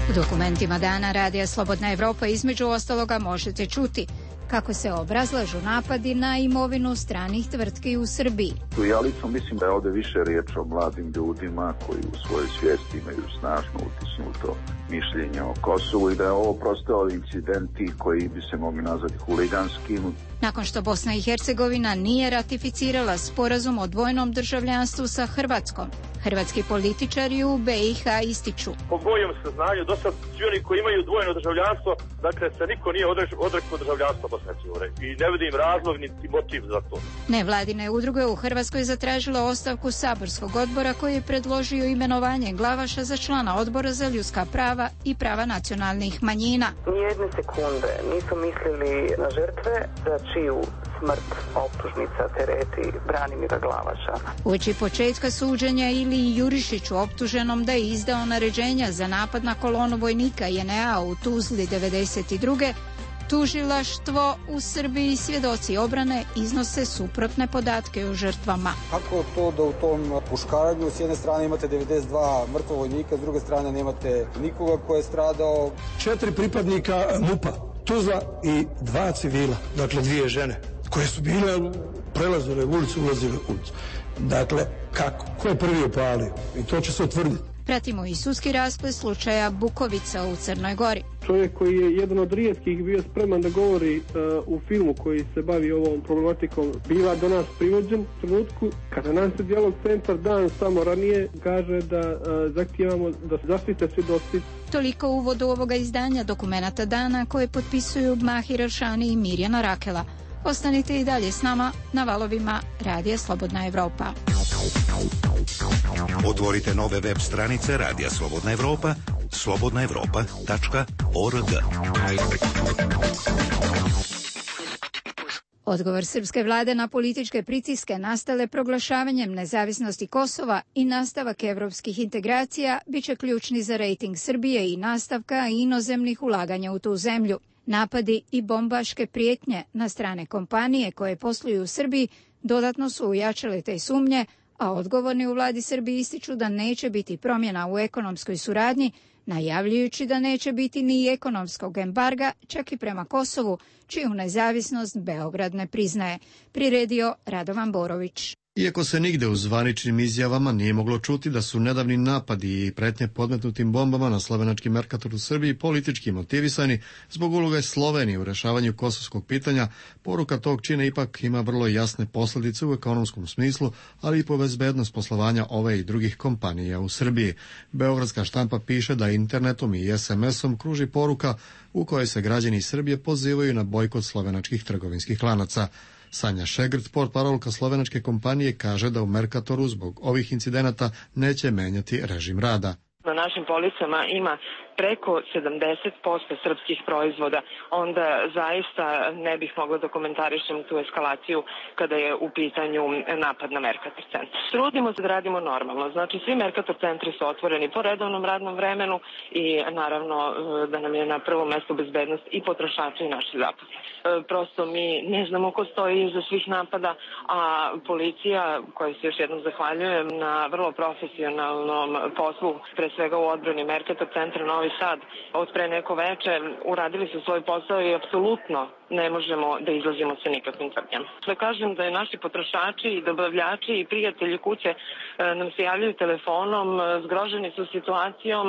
U dokumentima dana Radija Slobodna Evropa između ostaloga možete čuti kako se obrazlažu napadi na imovinu stranih tvrtki u Srbiji. Ja lično mislim da je ovde više riječ o mladim ljudima koji u svojoj svijesti imaju snažno utisnuto mišljenje o Kosovu i da je ovo prosto incidenti koji bi se mogli nazvati huliganskim. Nakon što Bosna i Hercegovina nije ratificirala sporazum o dvojnom državljanstvu sa Hrvatskom, hrvatski političari u BiH ističu. Po mojem saznanju, do sad svi oni koji imaju dvojno državljanstvo, dakle se niko nije odrekao državljanstva Bosne i Hercegovine i ne vidim razlog niti motiv za to. Nevladine udruge u Hrvatskoj zatražile ostavku saborskog odbora koji je predložio imenovanje Glavaša za člana odbora za ljudska prava i prava nacionalnih manjina. Nijedne sekunde nisu mislili na žrtve za čiju smrt optužnica tereti Branimira Glavaša. Uoči početka suđenja Iliji Jurišiću optuženom da je izdao naređenja za napad na kolonu vojnika JNA u Tuzli 1992. Tužilaštvo u Srbiji i svjedoci obrane iznose suprotne podatke o žrtvama. Kako to da u tom puškaranju s jedne strane imate 92 mrtva vojnika, s druge strane nemate nikoga ko je stradao? 4 pripadnika MUP-a, Tuzla i 2 civila, dakle 2 žene, koje su bile prelazile ulicu, ulazile u ulicu. Dakle, kako? Ko je prvi upalio? I to će se utvrditi. Pratimo i sudski rasplet slučaja Bukovica u Crnoj Gori. Čovjek koji je jedan od rijetkih bio spreman da govori u filmu koji se bavi ovom problematikom, biva do nas privođen u trenutku kada nam se Dijalog centar dan samo ranije kaže da zahtijevamo da se zaštite svjedoci. Toliko u uvodu ovoga izdanja dokumenata dana koje potpisuju Mahir Eršani i Mirjana Rakela. Ostanite i dalje s nama na valovima Radija Slobodna Evropa. Otvorite nove web stranice Radija Slobodna Evropa, slobodnaevropa.org. Odgovor srpske vlade na političke pritiske nastale proglašavanjem nezavisnosti Kosova i nastavak evropskih integracija biće ključni za rejting Srbije i nastavka inozemnih ulaganja u tu zemlju. Napadi i bombaške prijetnje na strane kompanije koje posluju u Srbiji dodatno su ujačale te sumnje, a odgovorni u vladi Srbije ističu da neće biti promjena u ekonomskoj suradnji, najavljujući da neće biti ni ekonomskog embarga, čak i prema Kosovu, čiju nezavisnost Beograd ne priznaje. Priredio Radovan Borović. Iako se nigde u zvaničnim izjavama nije moglo čuti da su nedavni napadi i pretnje podmetnutim bombama na slovenački Mercator u Srbiji politički motivisani zbog uloge Slovenije u rešavanju kosovskog pitanja, poruka tog čina ipak ima vrlo jasne posljedice u ekonomskom smislu, ali i po bezbednost poslovanja ove i drugih kompanija u Srbiji. Beogradska štampa piše da internetom i SMS-om kruži poruka u kojoj se građani Srbije pozivaju na bojkot slovenačkih trgovinskih lanaca. Sanja Šegrt, portparolka slovenačke kompanije, kaže da u Mercatoru zbog ovih incidenata neće menjati režim rada. Na našim policama ima preko 70% srpskih proizvoda, onda zaista ne bih mogla da komentarišem tu eskalaciju kada je u pitanju napad na Mercator centar. Trudimo se da radimo normalno, znači svi Mercator centri su otvoreni po redovnom radnom vremenu i naravno da nam je na prvom mjestu bezbednost i potrošača i naših zaposlenih. Prosto mi ne znamo ko stoji iza svih napada, a policija, kojoj se još jednom zahvaljujem na vrlo profesionalnom poslu, pre svega u odbrani Mercator centra Novi Sad, od pre neko veče uradili su svoj posao i apsolutno ne možemo da izlazimo sa nikakvim tvrdnjama. Da kažem da je naši potrošači i dobavljači i prijatelji kuće nam se javljaju telefonom, zgroženi su situacijom,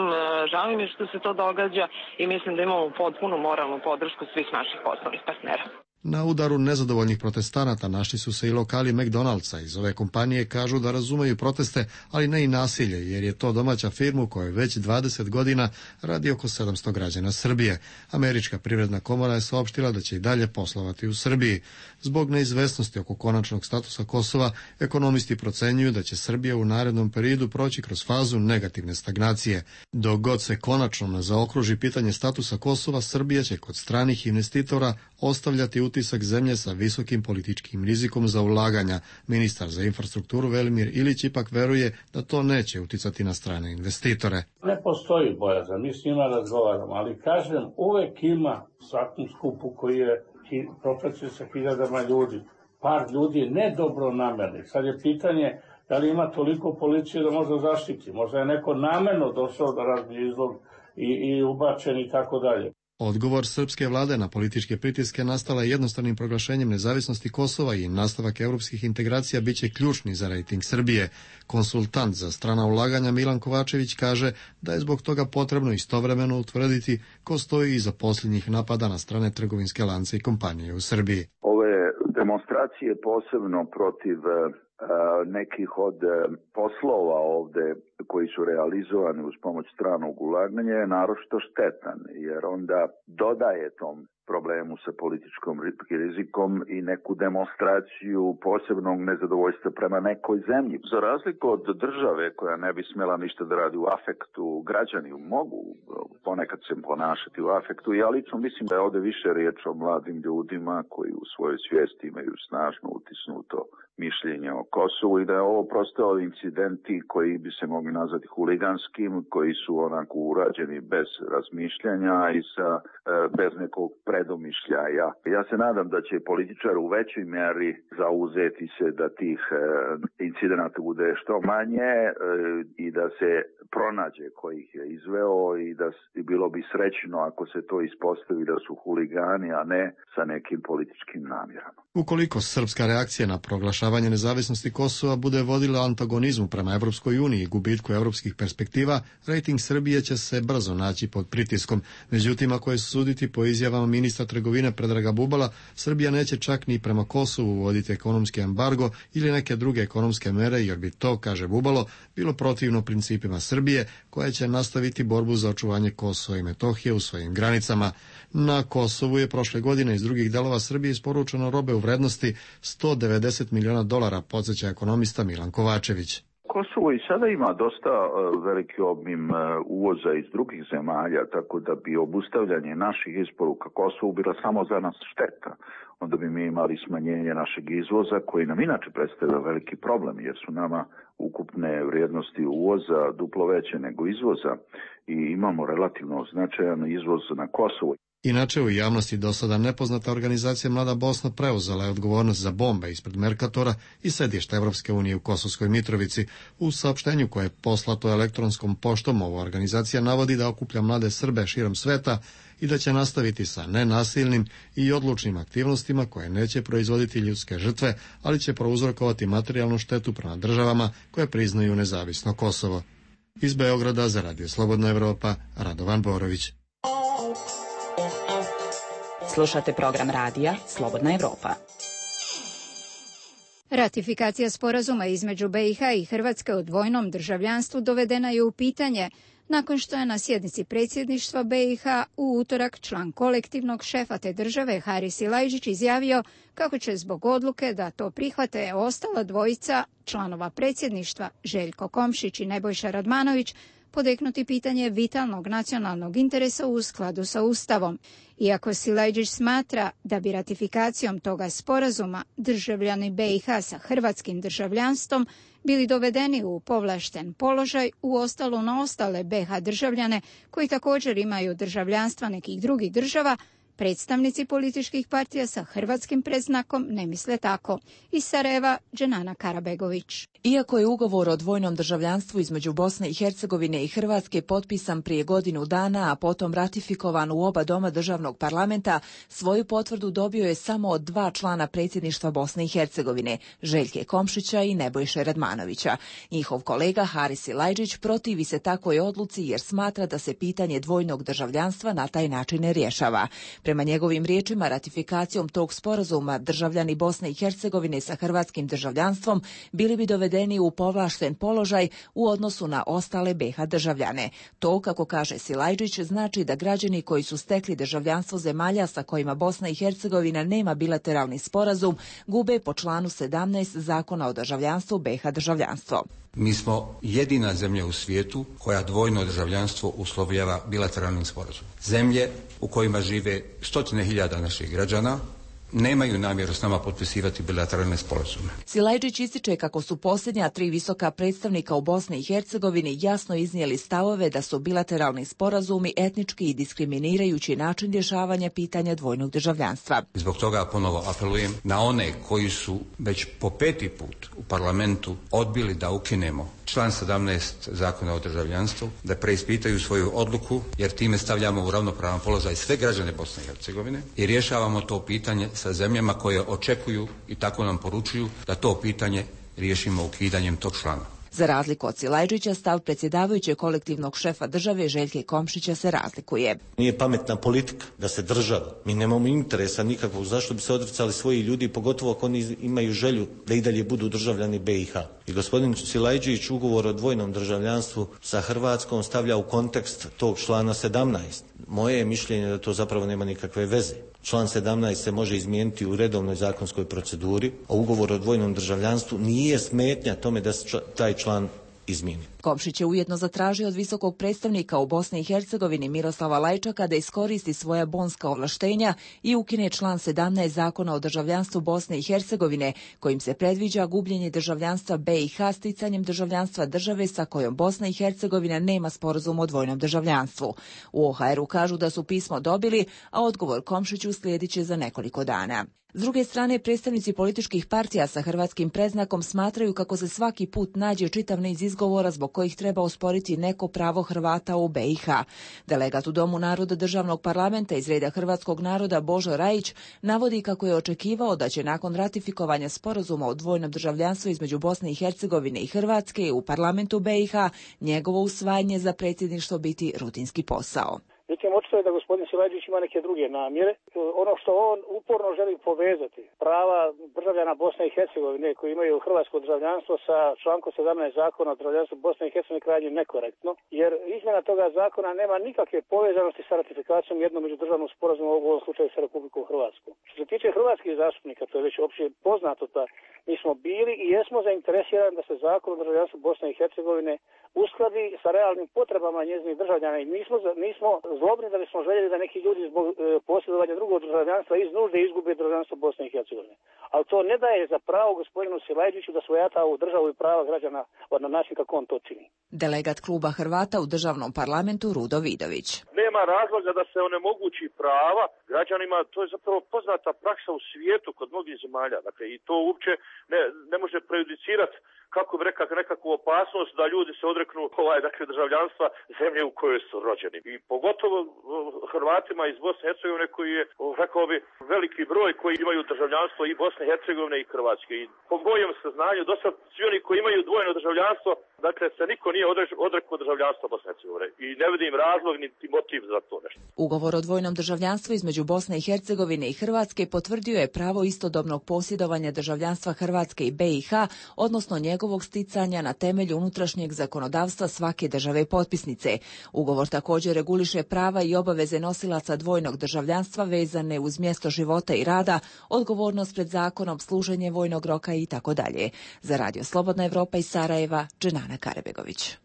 žao mi je što se to događa i mislim da imamo potpunu moralnu podršku svih naših poslovnih partnera. Na udaru nezadovoljnih protestanata našli su se i lokali McDonald'sa. Iz ove kompanije kažu da razumeju proteste, ali ne i nasilje, jer je to domaća firma u kojoj već 20 godina radi oko 700 građana Srbije. Američka privredna komora je saopštila da će i dalje poslovati u Srbiji. Zbog neizvesnosti oko konačnog statusa Kosova, ekonomisti procenjuju da će Srbija u narednom periodu proći kroz fazu negativne stagnacije. Dok god se konačno ne zaokruži pitanje statusa Kosova, Srbija će kod stranih investitora ostavljati utisak zemlje sa visokim političkim rizikom za ulaganja. Ministar za infrastrukturu Velimir Ilić ipak veruje da to neće uticati na strane investitore. Ne postoji bojazan, mi s njima razgovaramo, ali kažem, uvek ima u svakom skupu koji je propraćen sa hiljadama ljudi. Par ljudi nedobro namernih. Sad je pitanje da li ima toliko policije da možda zaštiti. Možda je neko namerno došao da razbije izlog i ubačen i tako dalje. Odgovor srpske vlade na političke pritiske nastala je jednostavnim proglašenjem nezavisnosti Kosova i nastavak evropskih integracija biće ključni za rejting Srbije. Konsultant za strana ulaganja Milan Kovačević kaže da je zbog toga potrebno istovremeno utvrditi ko stoji iza posljednjih napada na strane trgovinske lance i kompanije u Srbiji. Ove demonstracije posebno protiv nekih od poslova ovde koji su realizovani uz pomoć stranog ulaganja je naročito štetan, jer onda dodaje tom problemu sa političkom rizikom i neku demonstraciju posebnog nezadovoljstva prema nekoj zemlji. Za razliku od države koja ne bi smjela ništa da radi u afektu, građani mogu ponekad se ponašati u afektu. Ja lično mislim da je ovde više riječ o mladim ljudima koji u svojoj svijesti imaju snažno utisnuto mišljenje o Kosovu i da je ovo prosto incidenti koji bi se mogli nazvati huliganskim, koji su onako urađeni bez razmišljanja i bez nekog predomišljaja. Ja se nadam da će političar u većoj mjeri zauzeti se da tih incidenata bude što manje i da se pronađe ko ih je izveo i da bilo bi srećno ako se to ispostavi da su huligani, a ne sa nekim političkim namjerama. Ukoliko srpska reakcija na proglašavanje nezavisnosti Kosova bude vodila antagonizmu prema Evropskoj uniji i gubitku evropskih perspektiva, rejting Srbije će se brzo naći pod pritiskom. Međutim, ako je suditi po izjavama ministra trgovine Predraga Bubala, Srbija neće čak ni prema Kosovu uvoditi ekonomski embargo ili neke druge ekonomske mere, jer bi to, kaže Bubalo, bilo protivno principima Srbije, koja će nastaviti borbu za očuvanje Kosova i Metohije u svojim granicama. Na Kosovu je prošle godine iz drugih delova Srbije isporučeno robe u vrednosti $190 miliona, podsjeća ekonomista Milan Kovačević. Kosovo i sada ima dosta veliki obim uvoza iz drugih zemalja, tako da bi obustavljanje naših isporuka Kosovu bila samo za nas šteta. Onda bi mi imali smanjenje našeg izvoza, koji nam inače predstavlja veliki problem, jer su nama ukupne vrijednosti uvoza duplo veće nego izvoza i imamo relativno značajan izvoz na Kosovo. Inače, u javnosti do sada nepoznata organizacija Mlada Bosna preuzela je odgovornost za bombe ispred Merkatora i sedišta Evropske unije u Kosovskoj Mitrovici. U saopštenju koje je poslato elektronskom poštom, ova organizacija navodi da okuplja mlade Srbe širom sveta i da će nastaviti sa nenasilnim i odlučnim aktivnostima koje neće proizvoditi ljudske žrtve, ali će prouzrokovati materijalnu štetu prema državama koje priznaju nezavisno Kosovo. Iz Beograda za Radio Slobodna Evropa, Radovan Borović. Slušate program radija Slobodna Evropa. Ratifikacija sporazuma između BiH i Hrvatske o dvojnom državljanstvu dovedena je u pitanje nakon što je na sjednici predsjedništva BiH u utorak član kolektivnog šefa te države Haris Silajđić izjavio kako će zbog odluke da to prihvate ostala dvojica članova predsjedništva Željko Komšić i Nebojša Radmanović podeknuti pitanje vitalnog nacionalnog interesa u skladu sa Ustavom. Iako Silajđić smatra da bi ratifikacijom toga sporazuma državljani BiH sa hrvatskim državljanstvom bili dovedeni u povlašten položaj u ostalo na ostale BiH državljane koji također imaju državljanstva nekih drugih država, predstavnici političkih partija sa hrvatskim predznakom ne misle tako. Iz Sarajeva, Dženana Karabegović. Iako je ugovor o dvojnom državljanstvu između Bosne i Hercegovine i Hrvatske potpisan prije godinu dana, a potom ratifikovan u oba doma državnog parlamenta, svoju potvrdu dobio je samo od 2 člana predsjedništva Bosne i Hercegovine, Željke Komšića i Nebojše Radmanovića. Njihov kolega Haris Silajđić protivi se takvoj odluci jer smatra da se pitanje dvojnog državljanstva na taj način ne rješava. Prema njegovim riječima, ratifikacijom tog sporazuma državljani Bosne i Hercegovine sa hrvatskim državljanstvom bili bi dovedeni u povlašten položaj u odnosu na ostale BiH državljane. To, kako kaže Silajdžić, znači da građani koji su stekli državljanstvo zemalja sa kojima Bosna i Hercegovina nema bilateralni sporazum gube po članu 17 Zakona o državljanstvu BiH državljanstvo. Mi smo jedina zemlja u svijetu koja dvojno državljanstvo uslovljava bilateralnim sporazumom. Zemlje u kojima žive 100.000 naših građana nemaju namjeru s nama potpisivati bilateralne sporazume. Silajdžić ističe kako su posljednja 3 visoka predstavnika u Bosni i Hercegovini jasno iznijeli stavove da su bilateralni sporazumi etnički i diskriminirajući način rješavanja pitanja dvojnog državljanstva. Zbog toga ponovo apelujem na one koji su već po 5. put u parlamentu odbili da ukinemo član 17 Zakona o državljanstvu, da preispitaju svoju odluku, jer time stavljamo u ravnopravan položaj sve građane Bosne i Hercegovine i rješavamo to pitanje sa zemljama koje očekuju i tako nam poručuju da to pitanje riješimo ukidanjem tog člana. Za razliku od Silajdžića, stav predsjedavajućeg kolektivnog šefa države Željke Komšića se razlikuje. Nije pametna politika da se država, mi nemamo interesa nikakvog, zašto bi se odricali svoji ljudi, pogotovo ako oni imaju želju da i dalje budu državljani BiH. I gospodin Silajdžić ugovor o dvojnom državljanstvu sa Hrvatskom stavlja u kontekst tog člana 17. Moje je mišljenje da to zapravo nema nikakve veze. Član 17 se može izmijeniti u redovnoj zakonskoj proceduri, a ugovor o dvojnom državljanstvu nije smetnja tome da se taj član izmijeni. Komšić je ujedno zatražio od visokog predstavnika u Bosni i Hercegovini Miroslava Lajčaka da iskoristi svoja bonska ovlaštenja i ukine član 17 Zakona o državljanstvu Bosne i Hercegovine, kojim se predviđa gubljenje državljanstva BiH sticanjem državljanstva države sa kojom Bosna i Hercegovina nema sporazum o dvojnom državljanstvu. U OHR-u kažu da su pismo dobili, a odgovor Komšiću slijedit će za nekoliko dana. S druge strane, predstavnici političkih partija sa hrvatskim predznakom smatraju kako se svaki put nađe čitav niz izgovora zbog kojih treba osporiti neko pravo Hrvata u BiH. Delegat u Domu naroda državnog parlamenta iz reda hrvatskog naroda Božo Rajić navodi kako je očekivao da će nakon ratifikovanja sporazuma o dvojnom državljanstvu između Bosne i Hercegovine i Hrvatske u parlamentu BiH njegovo usvajanje za predsjedništvo biti rutinski posao. Međutim, očito je da gospodin Silajdžić ima neke druge namjere. Ono što on uporno želi povezati prava državljana Bosne i Hercegovine koji imaju hrvatsko državljanstvo sa člankom 17 Zakona o državljanstvu Bosne i Hercegovine krajnje nekorektno, jer izmjena toga zakona nema nikakve povezanosti sa ratifikacijom jednog međudržavnog sporazuma, u ovom slučaju sa Republikom Hrvatskom. Što se tiče hrvatskih zastupnika, to je već opće poznato da mi smo bili i jesmo zainteresirani da se Zakon o državljanstvu Bosne i Hercegovine uskladi sa realnim potrebama njezinih državljana i nismo zlobni da bismo željeli da neki ljudi zbog posjedovanja drugog državljanstva iz nužde izgube državljanstvo Bosne i Hercegovine. Ali to ne daje za pravo gospodinu Silajdžiću da svojata ovu državu i prava građana na način kako on to čini. Delegat kluba Hrvata u državnom parlamentu Rudo Vidović. Nema razloga da se onemogući prava građanima, to je zapravo poznata praksa u svijetu kod mnogih zemalja. Dakle, i to uopće ne može prejudicirati kako bi rekao nekakvu opasnost da ljudi se odreknu državljanstva zemlje u kojoj su rođeni. I pogotovo Hrvatima iz Bosne i Hercegovine koji je, rekao bi, veliki broj koji imaju državljanstvo i Bosne i Hercegovine i Hrvatske. I po mojem saznanju, do sad svi oni koji imaju dvojno državljanstvo, dakle se niko nije odrekao državljanstva Bosne i Hercegovine. I ne vidim razlog niti motiv za to nešto. Ugovor o dvojnom državljanstvu između Bosne i Hercegovine i Hrvatske potvrdio je pravo istodobnog posjedovanja državljanstva Hrvatske i BiH, odnosno njegovog sticanja na temelju unutrašnjeg zakonodavstva svake države potpisnice. Ugovor također reguliše prava i obaveze nosilaca dvojnog državljanstva vezane uz mjesto života i rada, odgovornost pred zakonom, služenje vojnog roka i tako dalje. Za Radio Slobodna Evropa iz Sarajeva, Dženana Karebegović.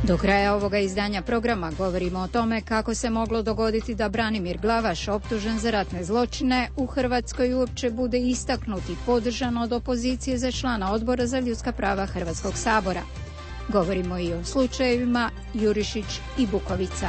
Do kraja ovoga izdanja programa govorimo o tome kako se moglo dogoditi da Branimir Glavaš, optužen za ratne zločine, u Hrvatskoj uopće bude istaknut i podržan od opozicije za člana Odbora za ljudska prava Hrvatskog sabora. Govorimo i o slučajevima Jurišić i Bukovica.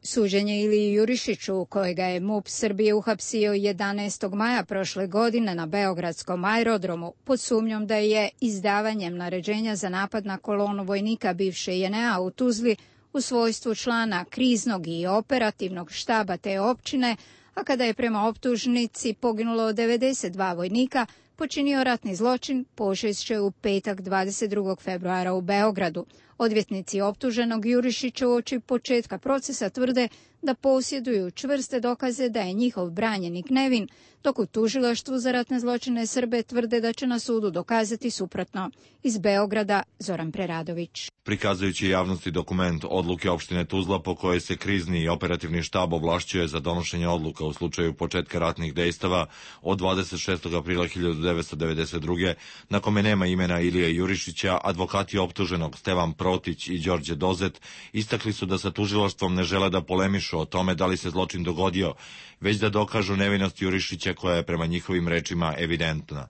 Suđenje Iliji Jurišiću, kojega je MUP Srbije uhapsio 11. maja prošle godine na beogradskom aerodromu pod sumnjom da je izdavanjem naređenja za napad na kolonu vojnika bivše JNA u Tuzli u svojstvu člana kriznog i operativnog štaba te općine, a kada je prema optužnici poginulo 92 vojnika, počinio ratni zločin, počešće u petak 22. februara u Beogradu. Odvjetnici optuženog Jurišića uoči početka procesa tvrde da posjeduju čvrste dokaze da je njihov branjenik nevin, dok u tužilaštvu za ratne zločine Srbe tvrde da će na sudu dokazati suprotno. Iz Beograda Zoran Preradović. Prikazujući javnosti dokument odluke opštine Tuzla po kojoj se krizni i operativni štab ovlašćuje za donošenje odluka u slučaju početka ratnih dejstava od 26. aprila 1992. na kome nema imena Ilije Jurišića, advokati optuženog Stevan Protić i Đorđe Dozet istakli su da sa tužilaštvom ne žele da polemišu o tome da li se zločin dogodio, već da dokažu nevinost Jurišića koja je prema njihovim rečima evidentna.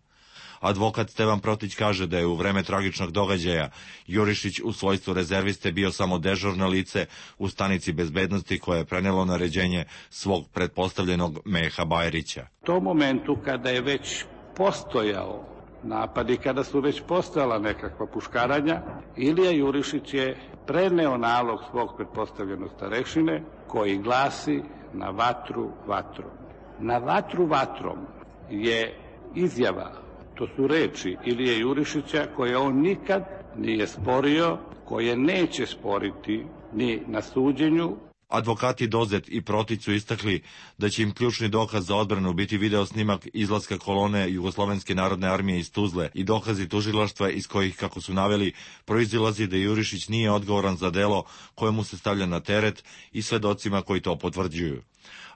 Advokat Stevan Protić kaže da je u vreme tragičnog događaja Jurišić u svojstvu rezerviste bio samo dežurno lice u stanici bezbednosti koje je prenelo naređenje svog pretpostavljenog Meha Bajrića. U tom momentu kada je već postojao napad i kada su već postojala nekakva puškaranja, Ilija Jurišić je preneo nalog svog pretpostavljenog starešine koji glasi na vatru vatrom. Na vatru vatrom je izjava, to su reči Ilije Jurišića koje on nikad nije sporio, koje neće sporiti ni na suđenju. Advokati Dozet i Protić su istakli da će im ključni dokaz za odbranu biti video snimak izlaska kolone Jugoslovenske narodne armije iz Tuzle i dokazi tužilaštva iz kojih, kako su naveli, proizilazi da Jurišić nije odgovoran za delo koje mu se stavlja na teret i svedocima koji to potvrđuju.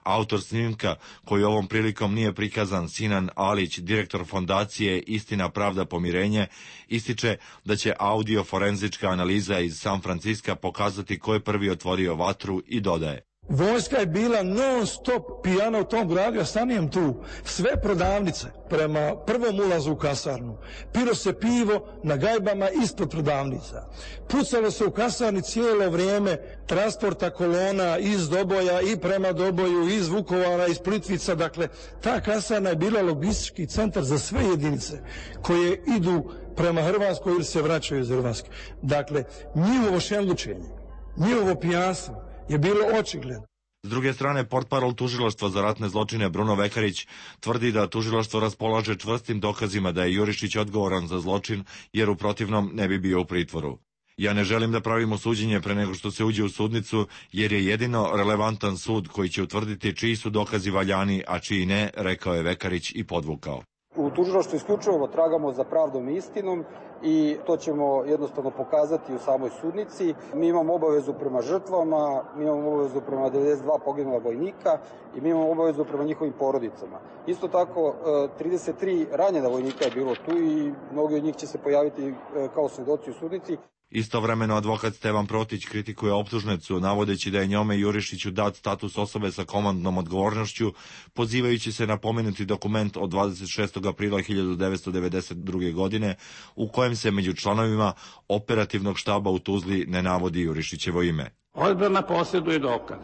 Autor snimka, koji ovom prilikom nije prikazan, Sinan Alić, direktor fondacije Istina, pravda, pomirenje, ističe da će audio-forenzička analiza iz San Franciska pokazati ko je prvi otvorio vatru i dodaje: Vojska je bila non stop pijana u tom gradu, ja stanijem tu. Sve prodavnice prema prvom ulazu u kasarnu. Pilo se pivo na gajbama ispod prodavnica. Pucalo se u kasarni cijelo vrijeme transporta kolona iz Doboja i prema Doboju, iz Vukovara, iz Plitvica. Dakle, ta kasarna je bila logistički centar za sve jedinice koje idu prema Hrvatskoj ili se vraćaju iz Hrvatske. Dakle, njihovo šenlučenje, njihovo pijanstvo je bilo očigledno. S druge strane, portparol tužilaštva za ratne zločine Bruno Vekarić tvrdi da tužilaštvo raspolaže čvrstim dokazima da je Jurišić odgovoran za zločin, jer u protivnom ne bi bio u pritvoru. Ja ne želim da pravimo suđenje pre nego što se uđe u sudnicu, jer je jedino relevantan sud koji će utvrditi čiji su dokazi valjani, a čiji ne, rekao je Vekarić i podvukao. U tužilaštvu isključivo tragamo za pravdom i istinom i to ćemo jednostavno pokazati u samoj sudnici. Mi imamo obavezu prema žrtvama, mi imamo obavezu prema 92 poginula vojnika i mi imamo obavezu prema njihovim porodicama. Isto tako, 33 ranjena vojnika je bilo tu i mnogi od njih će se pojaviti kao svedoci u sudnici. Istovremeno advokat Stevan Protić kritikuje optužnicu, navodeći da je njome Jurišiću dat status osobe sa komandnom odgovornošću, pozivajući se na pomenuti dokument od 26. aprila 1992. godine, u kojem se među članovima operativnog štaba u Tuzli ne navodi Jurišićevo ime. Odbrana posjeduje dokaz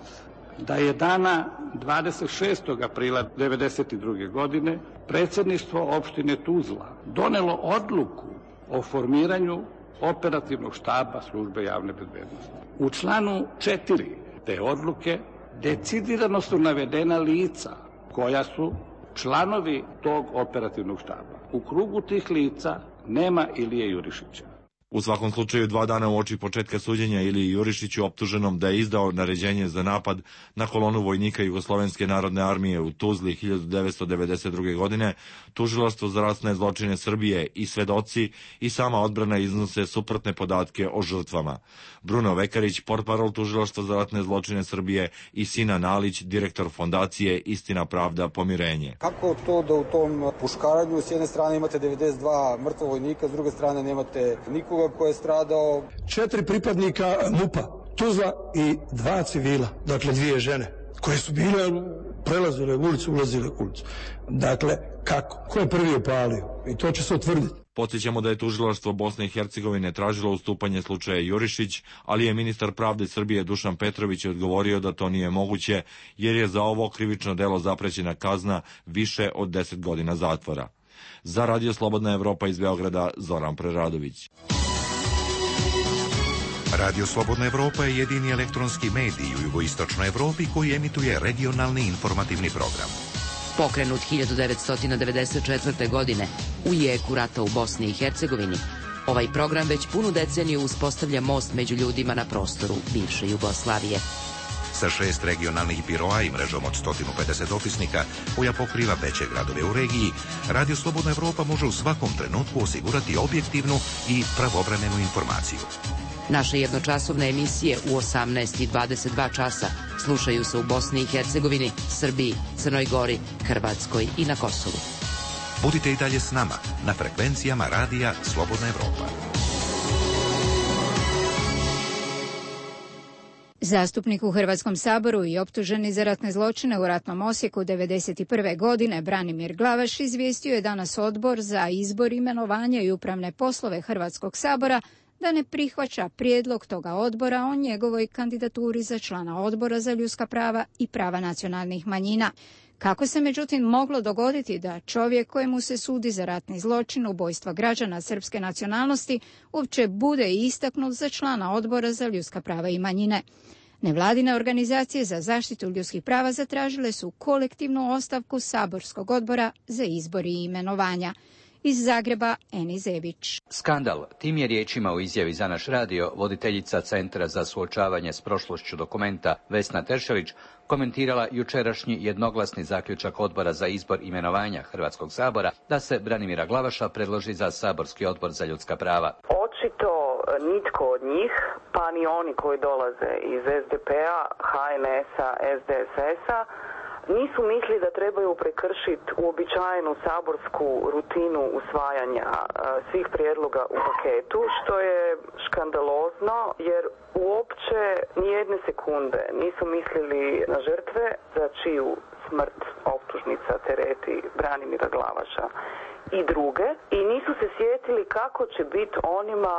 da je dana 26. aprila 1992. godine predsjedništvo opštine Tuzla donelo odluku o formiranju operativnog štaba službe javne bezbednosti. U članu 4 te odluke decidirano su navedena lica koja su članovi tog operativnog štaba. U krugu tih lica nema Ilije Jurišića. U svakom slučaju, 2 dana uoči početka suđenja Iliji Jurišiću, optuženom da je izdao naređenje za napad na kolonu vojnika Jugoslovenske narodne armije u Tuzli 1992. godine, tužilaštvo za ratne zločine Srbije i svedoci i sama odbrana iznose suprotne podatke o žrtvama. Bruno Vekarić, portparol tužilaštva za ratne zločine Srbije, i Sinan Alić, direktor fondacije Istina, pravda, pomirenje. Kako to da u tom puškaranju s jedne strane imate 92 mrtva vojnika, s druge strane nemate nikoga ko je stradao? 4 pripadnika MUP-a, Tuzla i 2 civila, dakle 2 žene, koje su bile, prelazile ulicu, ulazile u ulicu. Dakle, kako? Ko je prvi opalio? I to će se utvrditi. Podsjećamo da je tužilaštvo Bosne i Hercegovine tražilo ustupanje slučaja Jurišić, ali je ministar pravde Srbije Dušan Petrović odgovorio da to nije moguće, jer je za ovo krivično delo zaprećena kazna više od 10 godina zatvora. Za Radio Slobodna Evropa iz Beograda, Zoran Preradović. Radio Slobodna Evropa je jedini elektronski medij u jugoistočnoj Evropi koji emituje regionalni informativni program. Pokrenut 1994. godine u jeku rata u Bosni i Hercegovini, ovaj program već punu deceniju uspostavlja most među ljudima na prostoru bivše Jugoslavije. Sa 6 regionalnih biroa i mrežom od 150 opisnika koja pokriva veće gradove u regiji, Radio Slobodna Evropa može u svakom trenutku osigurati objektivnu i pravovremenu informaciju. Naše jednočasovne emisije u 18 i 22 časa slušaju se u Bosni i Hercegovini, Srbiji, Crnoj Gori, Hrvatskoj i na Kosovu. Budite i dalje s nama na frekvencijama Radija Slobodna Evropa. Zastupnik u Hrvatskom saboru i optuženi za ratne zločine u ratnom Osijeku 1991. godine Branimir Glavaš izvijestio je danas Odbor za izbor, imenovanja i upravne poslove Hrvatskog sabora da ne prihvaća prijedlog toga odbora o njegovoj kandidaturi za člana Odbora za ljudska prava i prava nacionalnih manjina. Kako se međutim moglo dogoditi da čovjek kojemu se sudi za ratni zločin ubojstva građana srpske nacionalnosti uopće bude istaknut za člana Odbora za ljudska prava i manjine? Nevladine organizacije za zaštitu ljudskih prava zatražile su kolektivnu ostavku saborskog odbora za izbor i imenovanja. Iz Zagreba, Eni Zebić. Skandal, tim je riječima u izjavi za naš radio voditeljica Centra za suočavanje s prošlošću Dokumenta Vesna Teršelić komentirala jučerašnji jednoglasni zaključak Odbora za izbor imenovanja Hrvatskog sabora da se Branimira Glavaša predloži za saborski odbor za ljudska prava. Očito nitko od njih, pa ni oni koji dolaze iz SDP-a, HNS-a, SDSS-a, nisu mislili da trebaju prekršiti uobičajenu saborsku rutinu usvajanja svih prijedloga u paketu, što je škandalozno jer uopće nijedne sekunde nisu mislili na žrtve za čiju smrt optužnica tereti Branimira Glavaša i druge i nisu se sjetili kako će biti onima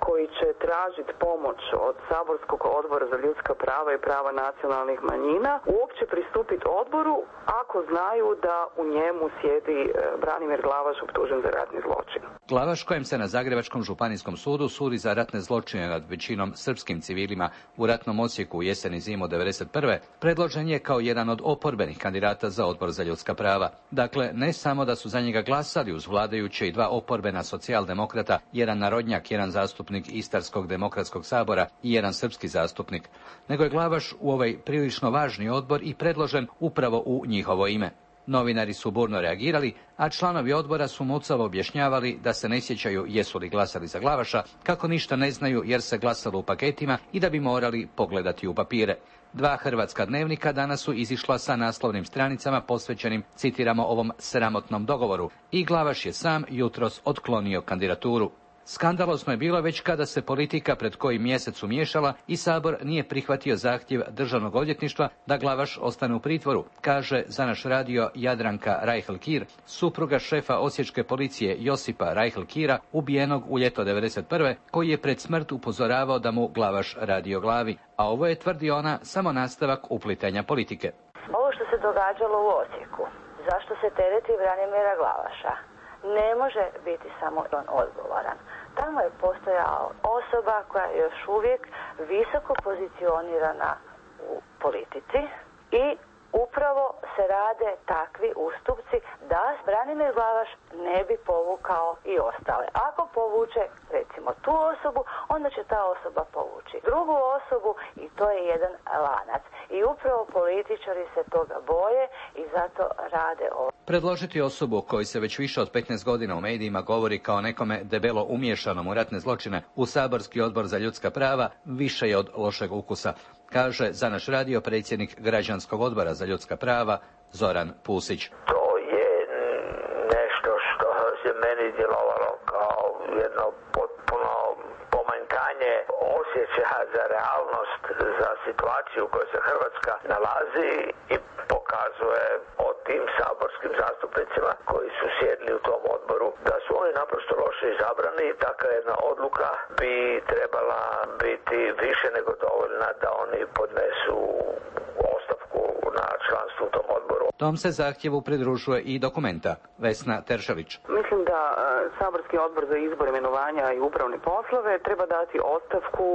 koji će tražiti pomoć od saborskog odbora za ljudska prava i prava nacionalnih manjina uopće pristupiti odboru ako znaju da u njemu sjedi Branimir Glavaš optužen za ratni zločin. Glavaš, kojem se na Zagrebačkom županijskom sudu sudi za ratne zločine nad većinom srpskim civilima u ratnom Osijeku u jesen i zimu 1991. predložen je kao jedan od oporbenih kandidata za odbor za ljudska prava. Dakle, ne samo da su za njega glasali uz vladajuće i dva oporbena socijaldemokrata, jedan narodnjak, jedan zastupnik Istarskog demokratskog sabora i jedan srpski zastupnik, nego je Glavaš u ovaj prilično važni odbor i predložen upravo u njihovo ime. Novinari su burno reagirali, a članovi odbora su mucavo objašnjavali da se ne sjećaju jesu li glasali za Glavaša, kako ništa ne znaju jer se glasalo u paketima i da bi morali pogledati u papire. Dva hrvatska dnevnika danas su izišla sa naslovnim stranicama posvećenim, citiramo, ovom sramotnom dogovoru i Glavaš je sam jutros otklonio kandidaturu. Skandalozno je bilo već kada se politika pred koji mjesec umiješala i Sabor nije prihvatio zahtjev Državnog odvjetništva da Glavaš ostane u pritvoru, kaže za naš radio Jadranka Rajhl-Kir, supruga šefa osječke policije Josipa Rajhl-Kira, ubijenog u ljeto 1991. koji je pred smrt upozoravao da mu Glavaš radi o glavi, a ovo je, tvrdi ona, samo nastavak uplitanja politike. Ovo što se događalo u Osijeku, zašto se tereti Branimira Glavaša, ne može biti samo on odgovoran. Tamo je postojala osoba koja je još uvijek visoko pozicionirana u politici i upravo se rade takvi ustupci da Branimir Glavaš ne bi povukao i ostale. Ako povuče recimo tu osobu, onda će ta osoba povući drugu osobu i to je jedan lanac. I upravo političari se toga boje i zato rade ovo. Predložiti osobu o kojoj se već više od 15 godina u medijima govori kao nekome debelo umiješanom u ratne zločine u saborski odbor za ljudska prava više je od lošeg ukusa, kaže za naš radio predsjednik Građanskog odbora za ljudska prava Zoran Pusić. To je nešto što se meni djelovalo kao jedno potpuno pomanjkanje osjećaja za realnost, za situaciju u kojoj se Hrvatska nalazi i pokazuje o tim saborskim zastupnicima koji su sjedli u tom odboru da su oni naprosto loše izabrani i takva jedna odluka bi trebala biti više nego dovoljna da oni podnesu ostavku na članstvo u tom odboru. Tom se zahtjevu pridružuje i Dokumenta. Vesna Teršelić. Mislim da saborski odbor za izbor, imenovanja i upravne poslove treba dati ostavku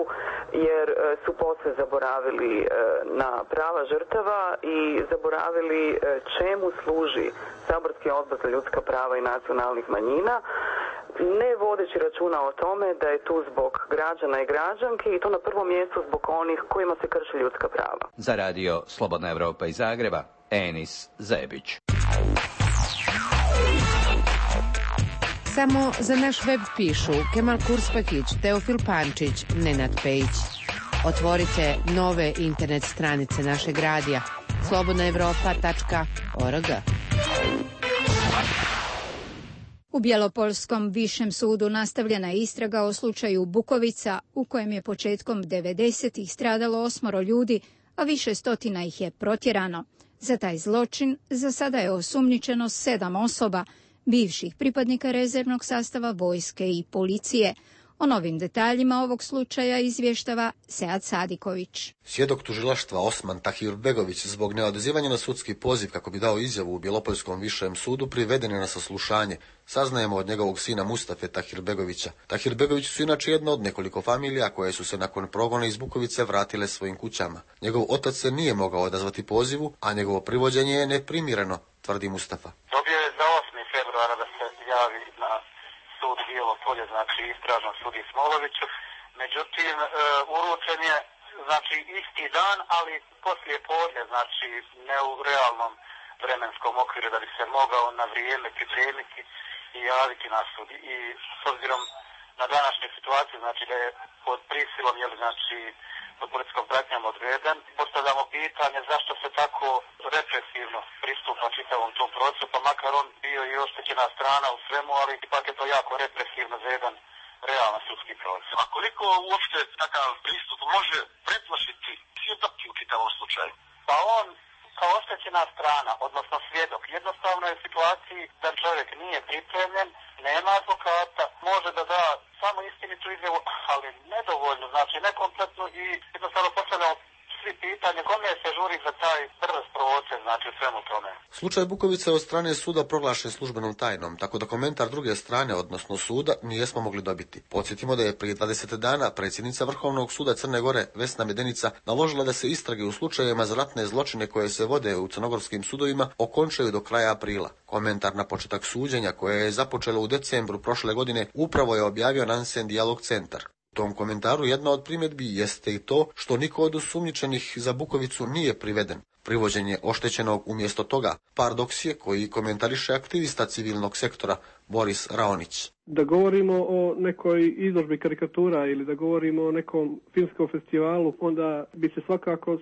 jer su posve zaboravili na prava žrtava i zaboravili čemu služi saborski odbor za ljudska prava i nacionalnih manjina, ne vodeći računa o tome da je tu zbog građana i građanki i to na prvom mjestu zbog onih kojima se krši ljudska prava. Za radio Slobodna Evropa iz Zagreba, Enis Zebić. Samo za naš web pišu Kemal Kurspakić, Teofil Pančić, Nenad Pejić. Otvorite nove internet stranice našeg radija slobodnaevropa.org. U Bjelopolskom višem sudu nastavljena je istraga o slučaju Bukovica u kojem je početkom 90-ih stradalo 8 ljudi, a više stotina ih je protjerano. Za taj zločin za sada je osumnjičeno 7 osoba, bivših pripadnika rezervnog sastava vojske i policije. O novim detaljima ovog slučaja izvještava Sead Sadiković. Svjedok tužilaštva Osman Tahirbegović zbog neodazivanja na sudski poziv kako bi dao izjavu u Bjelopolskom višem sudu priveden je na saslušanje. Saznajemo od njegovog sina Mustafe Tahirbegovića. Tahirbegović su inače jedna od nekoliko familija koje su se nakon progona iz Bukovice vratile svojim kućama. Njegov otac se nije mogao odazvati pozivu, a njegovo privođenje je neprimjereno, tvrdi Mustafa. Dobio je za 8. februara da se javi na sud Bijelo Polje, znači istražnom sudi Smoloviću. Međutim, uručen je znači isti dan, ali poslije podne, znači ne u realnom vremenskom okviru da bi se mogao na vrijeme pripremiti i javiti na sud. I s obzirom na današnju situaciju, znači da je pod prisilom, znači pod policijskom pratnjom odveden, postavljamo pitanje zašto se tako represivno pristupa čitavom tom procesu, pa makar on bio i oštećena strana u svemu, ali ipak je to jako represivno za jedan realan sudski proces. A koliko uopšte takav pristup može preplašiti svjedoke u čitavom slučaju? Pa on kao oštećena strana, odnosno svjedok, jednostavno je u situaciji da čovjek nije pripremljen, nema advokata, može da da samo istinitu izjavu, ali nedovoljno, znači nekompletno i jednostavno postavljamo svi pitanje kome se žuri za taj brz proces, znači u svemu tome. Slučaj Bukovice od strane suda proglašen službenom tajnom, tako da komentar druge strane, odnosno suda, nijesmo mogli dobiti. Podsjetimo da je prije 20 dana predsjednica Vrhovnog suda Crne Gore, Vesna Medenica, naložila da se istrage u slučajevima za ratne zločine koje se vode u crnogorskim sudovima okončaju do kraja aprila. Komentar na početak suđenja, koje je započelo u decembru prošle godine, upravo je objavio Nansen Dialog centar. U tom komentaru jedna od primjedbi jeste i to što niko od osumnjičenih za Bukovicu nije priveden. Privođenje oštećenog umjesto toga paradoks je koji komentariše aktivista civilnog sektora Boris Raonić. Da govorimo o nekoj izložbi karikatura ili da govorimo o nekom filmskom festivalu, onda bi se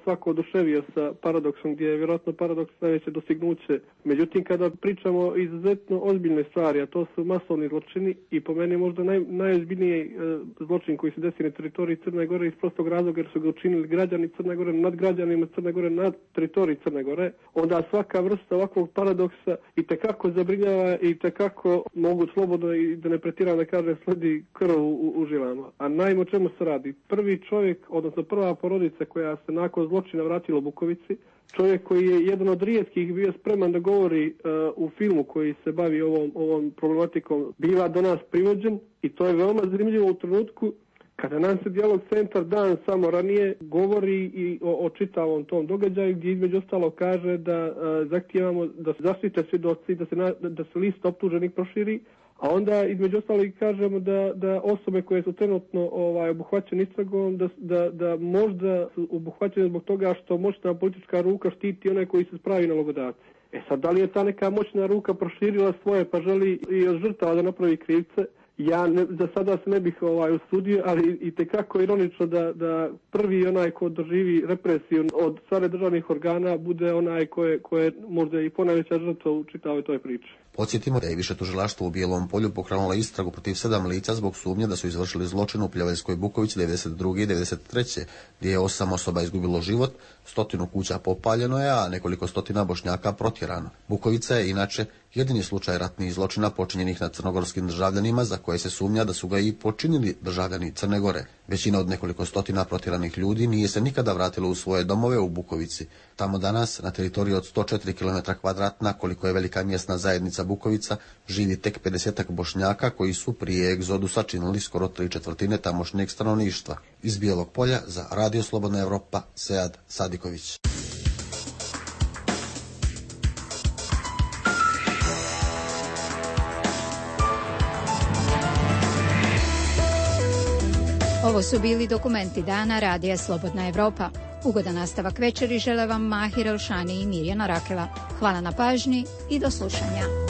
svako oduševio sa paradoksom, gdje je vjerojatno paradoks najveće dostignuće. Međutim, kada pričamo o izuzetno ozbiljne stvari, a to su masovni zločini i po meni možda najozbiljniji zločin koji se desi na teritoriji Crne Gore iz prostog razloga jer su ga učinili građani Crne Gore nad građanima Crne Gore nad teritoriji Crne Gore, onda svaka vrsta ovakvog paradoksa itekako zabrinjava i itekako mogu slobodno i da ne pretiram da kažem sledi krv u žilama. A naime o čemu se radi? Prvi čovjek, odnosno prva porodica koja se nakon zločina vratila u Bukovici, čovjek koji je jedan od rijetkih bio spreman da govori u filmu koji se bavi ovom problematikom, biva do nas privođen i to je veoma zanimljivo u trenutku kada nam se Dijalog centar dan samo ranije govori i o čitavom tom događaju gdje između ostalo kaže da zahtijevamo da se zaštite svjedoci, da se list optuženih proširi, a onda između ostalog kažemo da osobe koje su trenutno obuhvaćene istragom da možda su obuhvaćene zbog toga što moćna politička ruka štiti one koji se spravi nalogodavci. Sad, da li je ta neka moćna ruka proširila svoje pa želi i od žrtava da napravi krivce? Ja za sada se ne bih usudio, ali itekako ironično da prvi onaj ko doživi represiju od strane državnih organa bude onaj ko je možda i ponajveća žrtva u čitavoj toj priči. Podsjetimo da je više tužilaštvo u Bijelom Polju pokrenulo istragu protiv 7 lica zbog sumnje da su izvršili zločin u Pljevenskoj Bukovici 92. i 93. gdje je 8 osoba izgubilo život, 100 kuća popaljeno je, a nekoliko stotina Bošnjaka protjerano. Bukovica je inače jedini slučaj ratnih zločina počinjenih nad crnogorskim državljanima za koje se sumnja da su ga i počinili državljani Crne Gore. Većina od nekoliko stotina protjeranih ljudi nije se nikada vratilo u svoje domove u Bukovici. Tamo danas, na teritoriji od 104 km2, koliko je velika mjesna zajednica Bukovica, živi tek 50-ak Bošnjaka koji su prije egzodusa činili skoro 3/4 tamošnjeg stanovništva. Iz Bijelog Polja za Radio Slobodna Evropa, Sead Sadiković. Ovo su bili dokumenti dana Radija Slobodna Evropa. Ugodan nastavak večeri žele vam Mahir Elšani i Mirjana Rakela. Hvala na pažnji i do slušanja.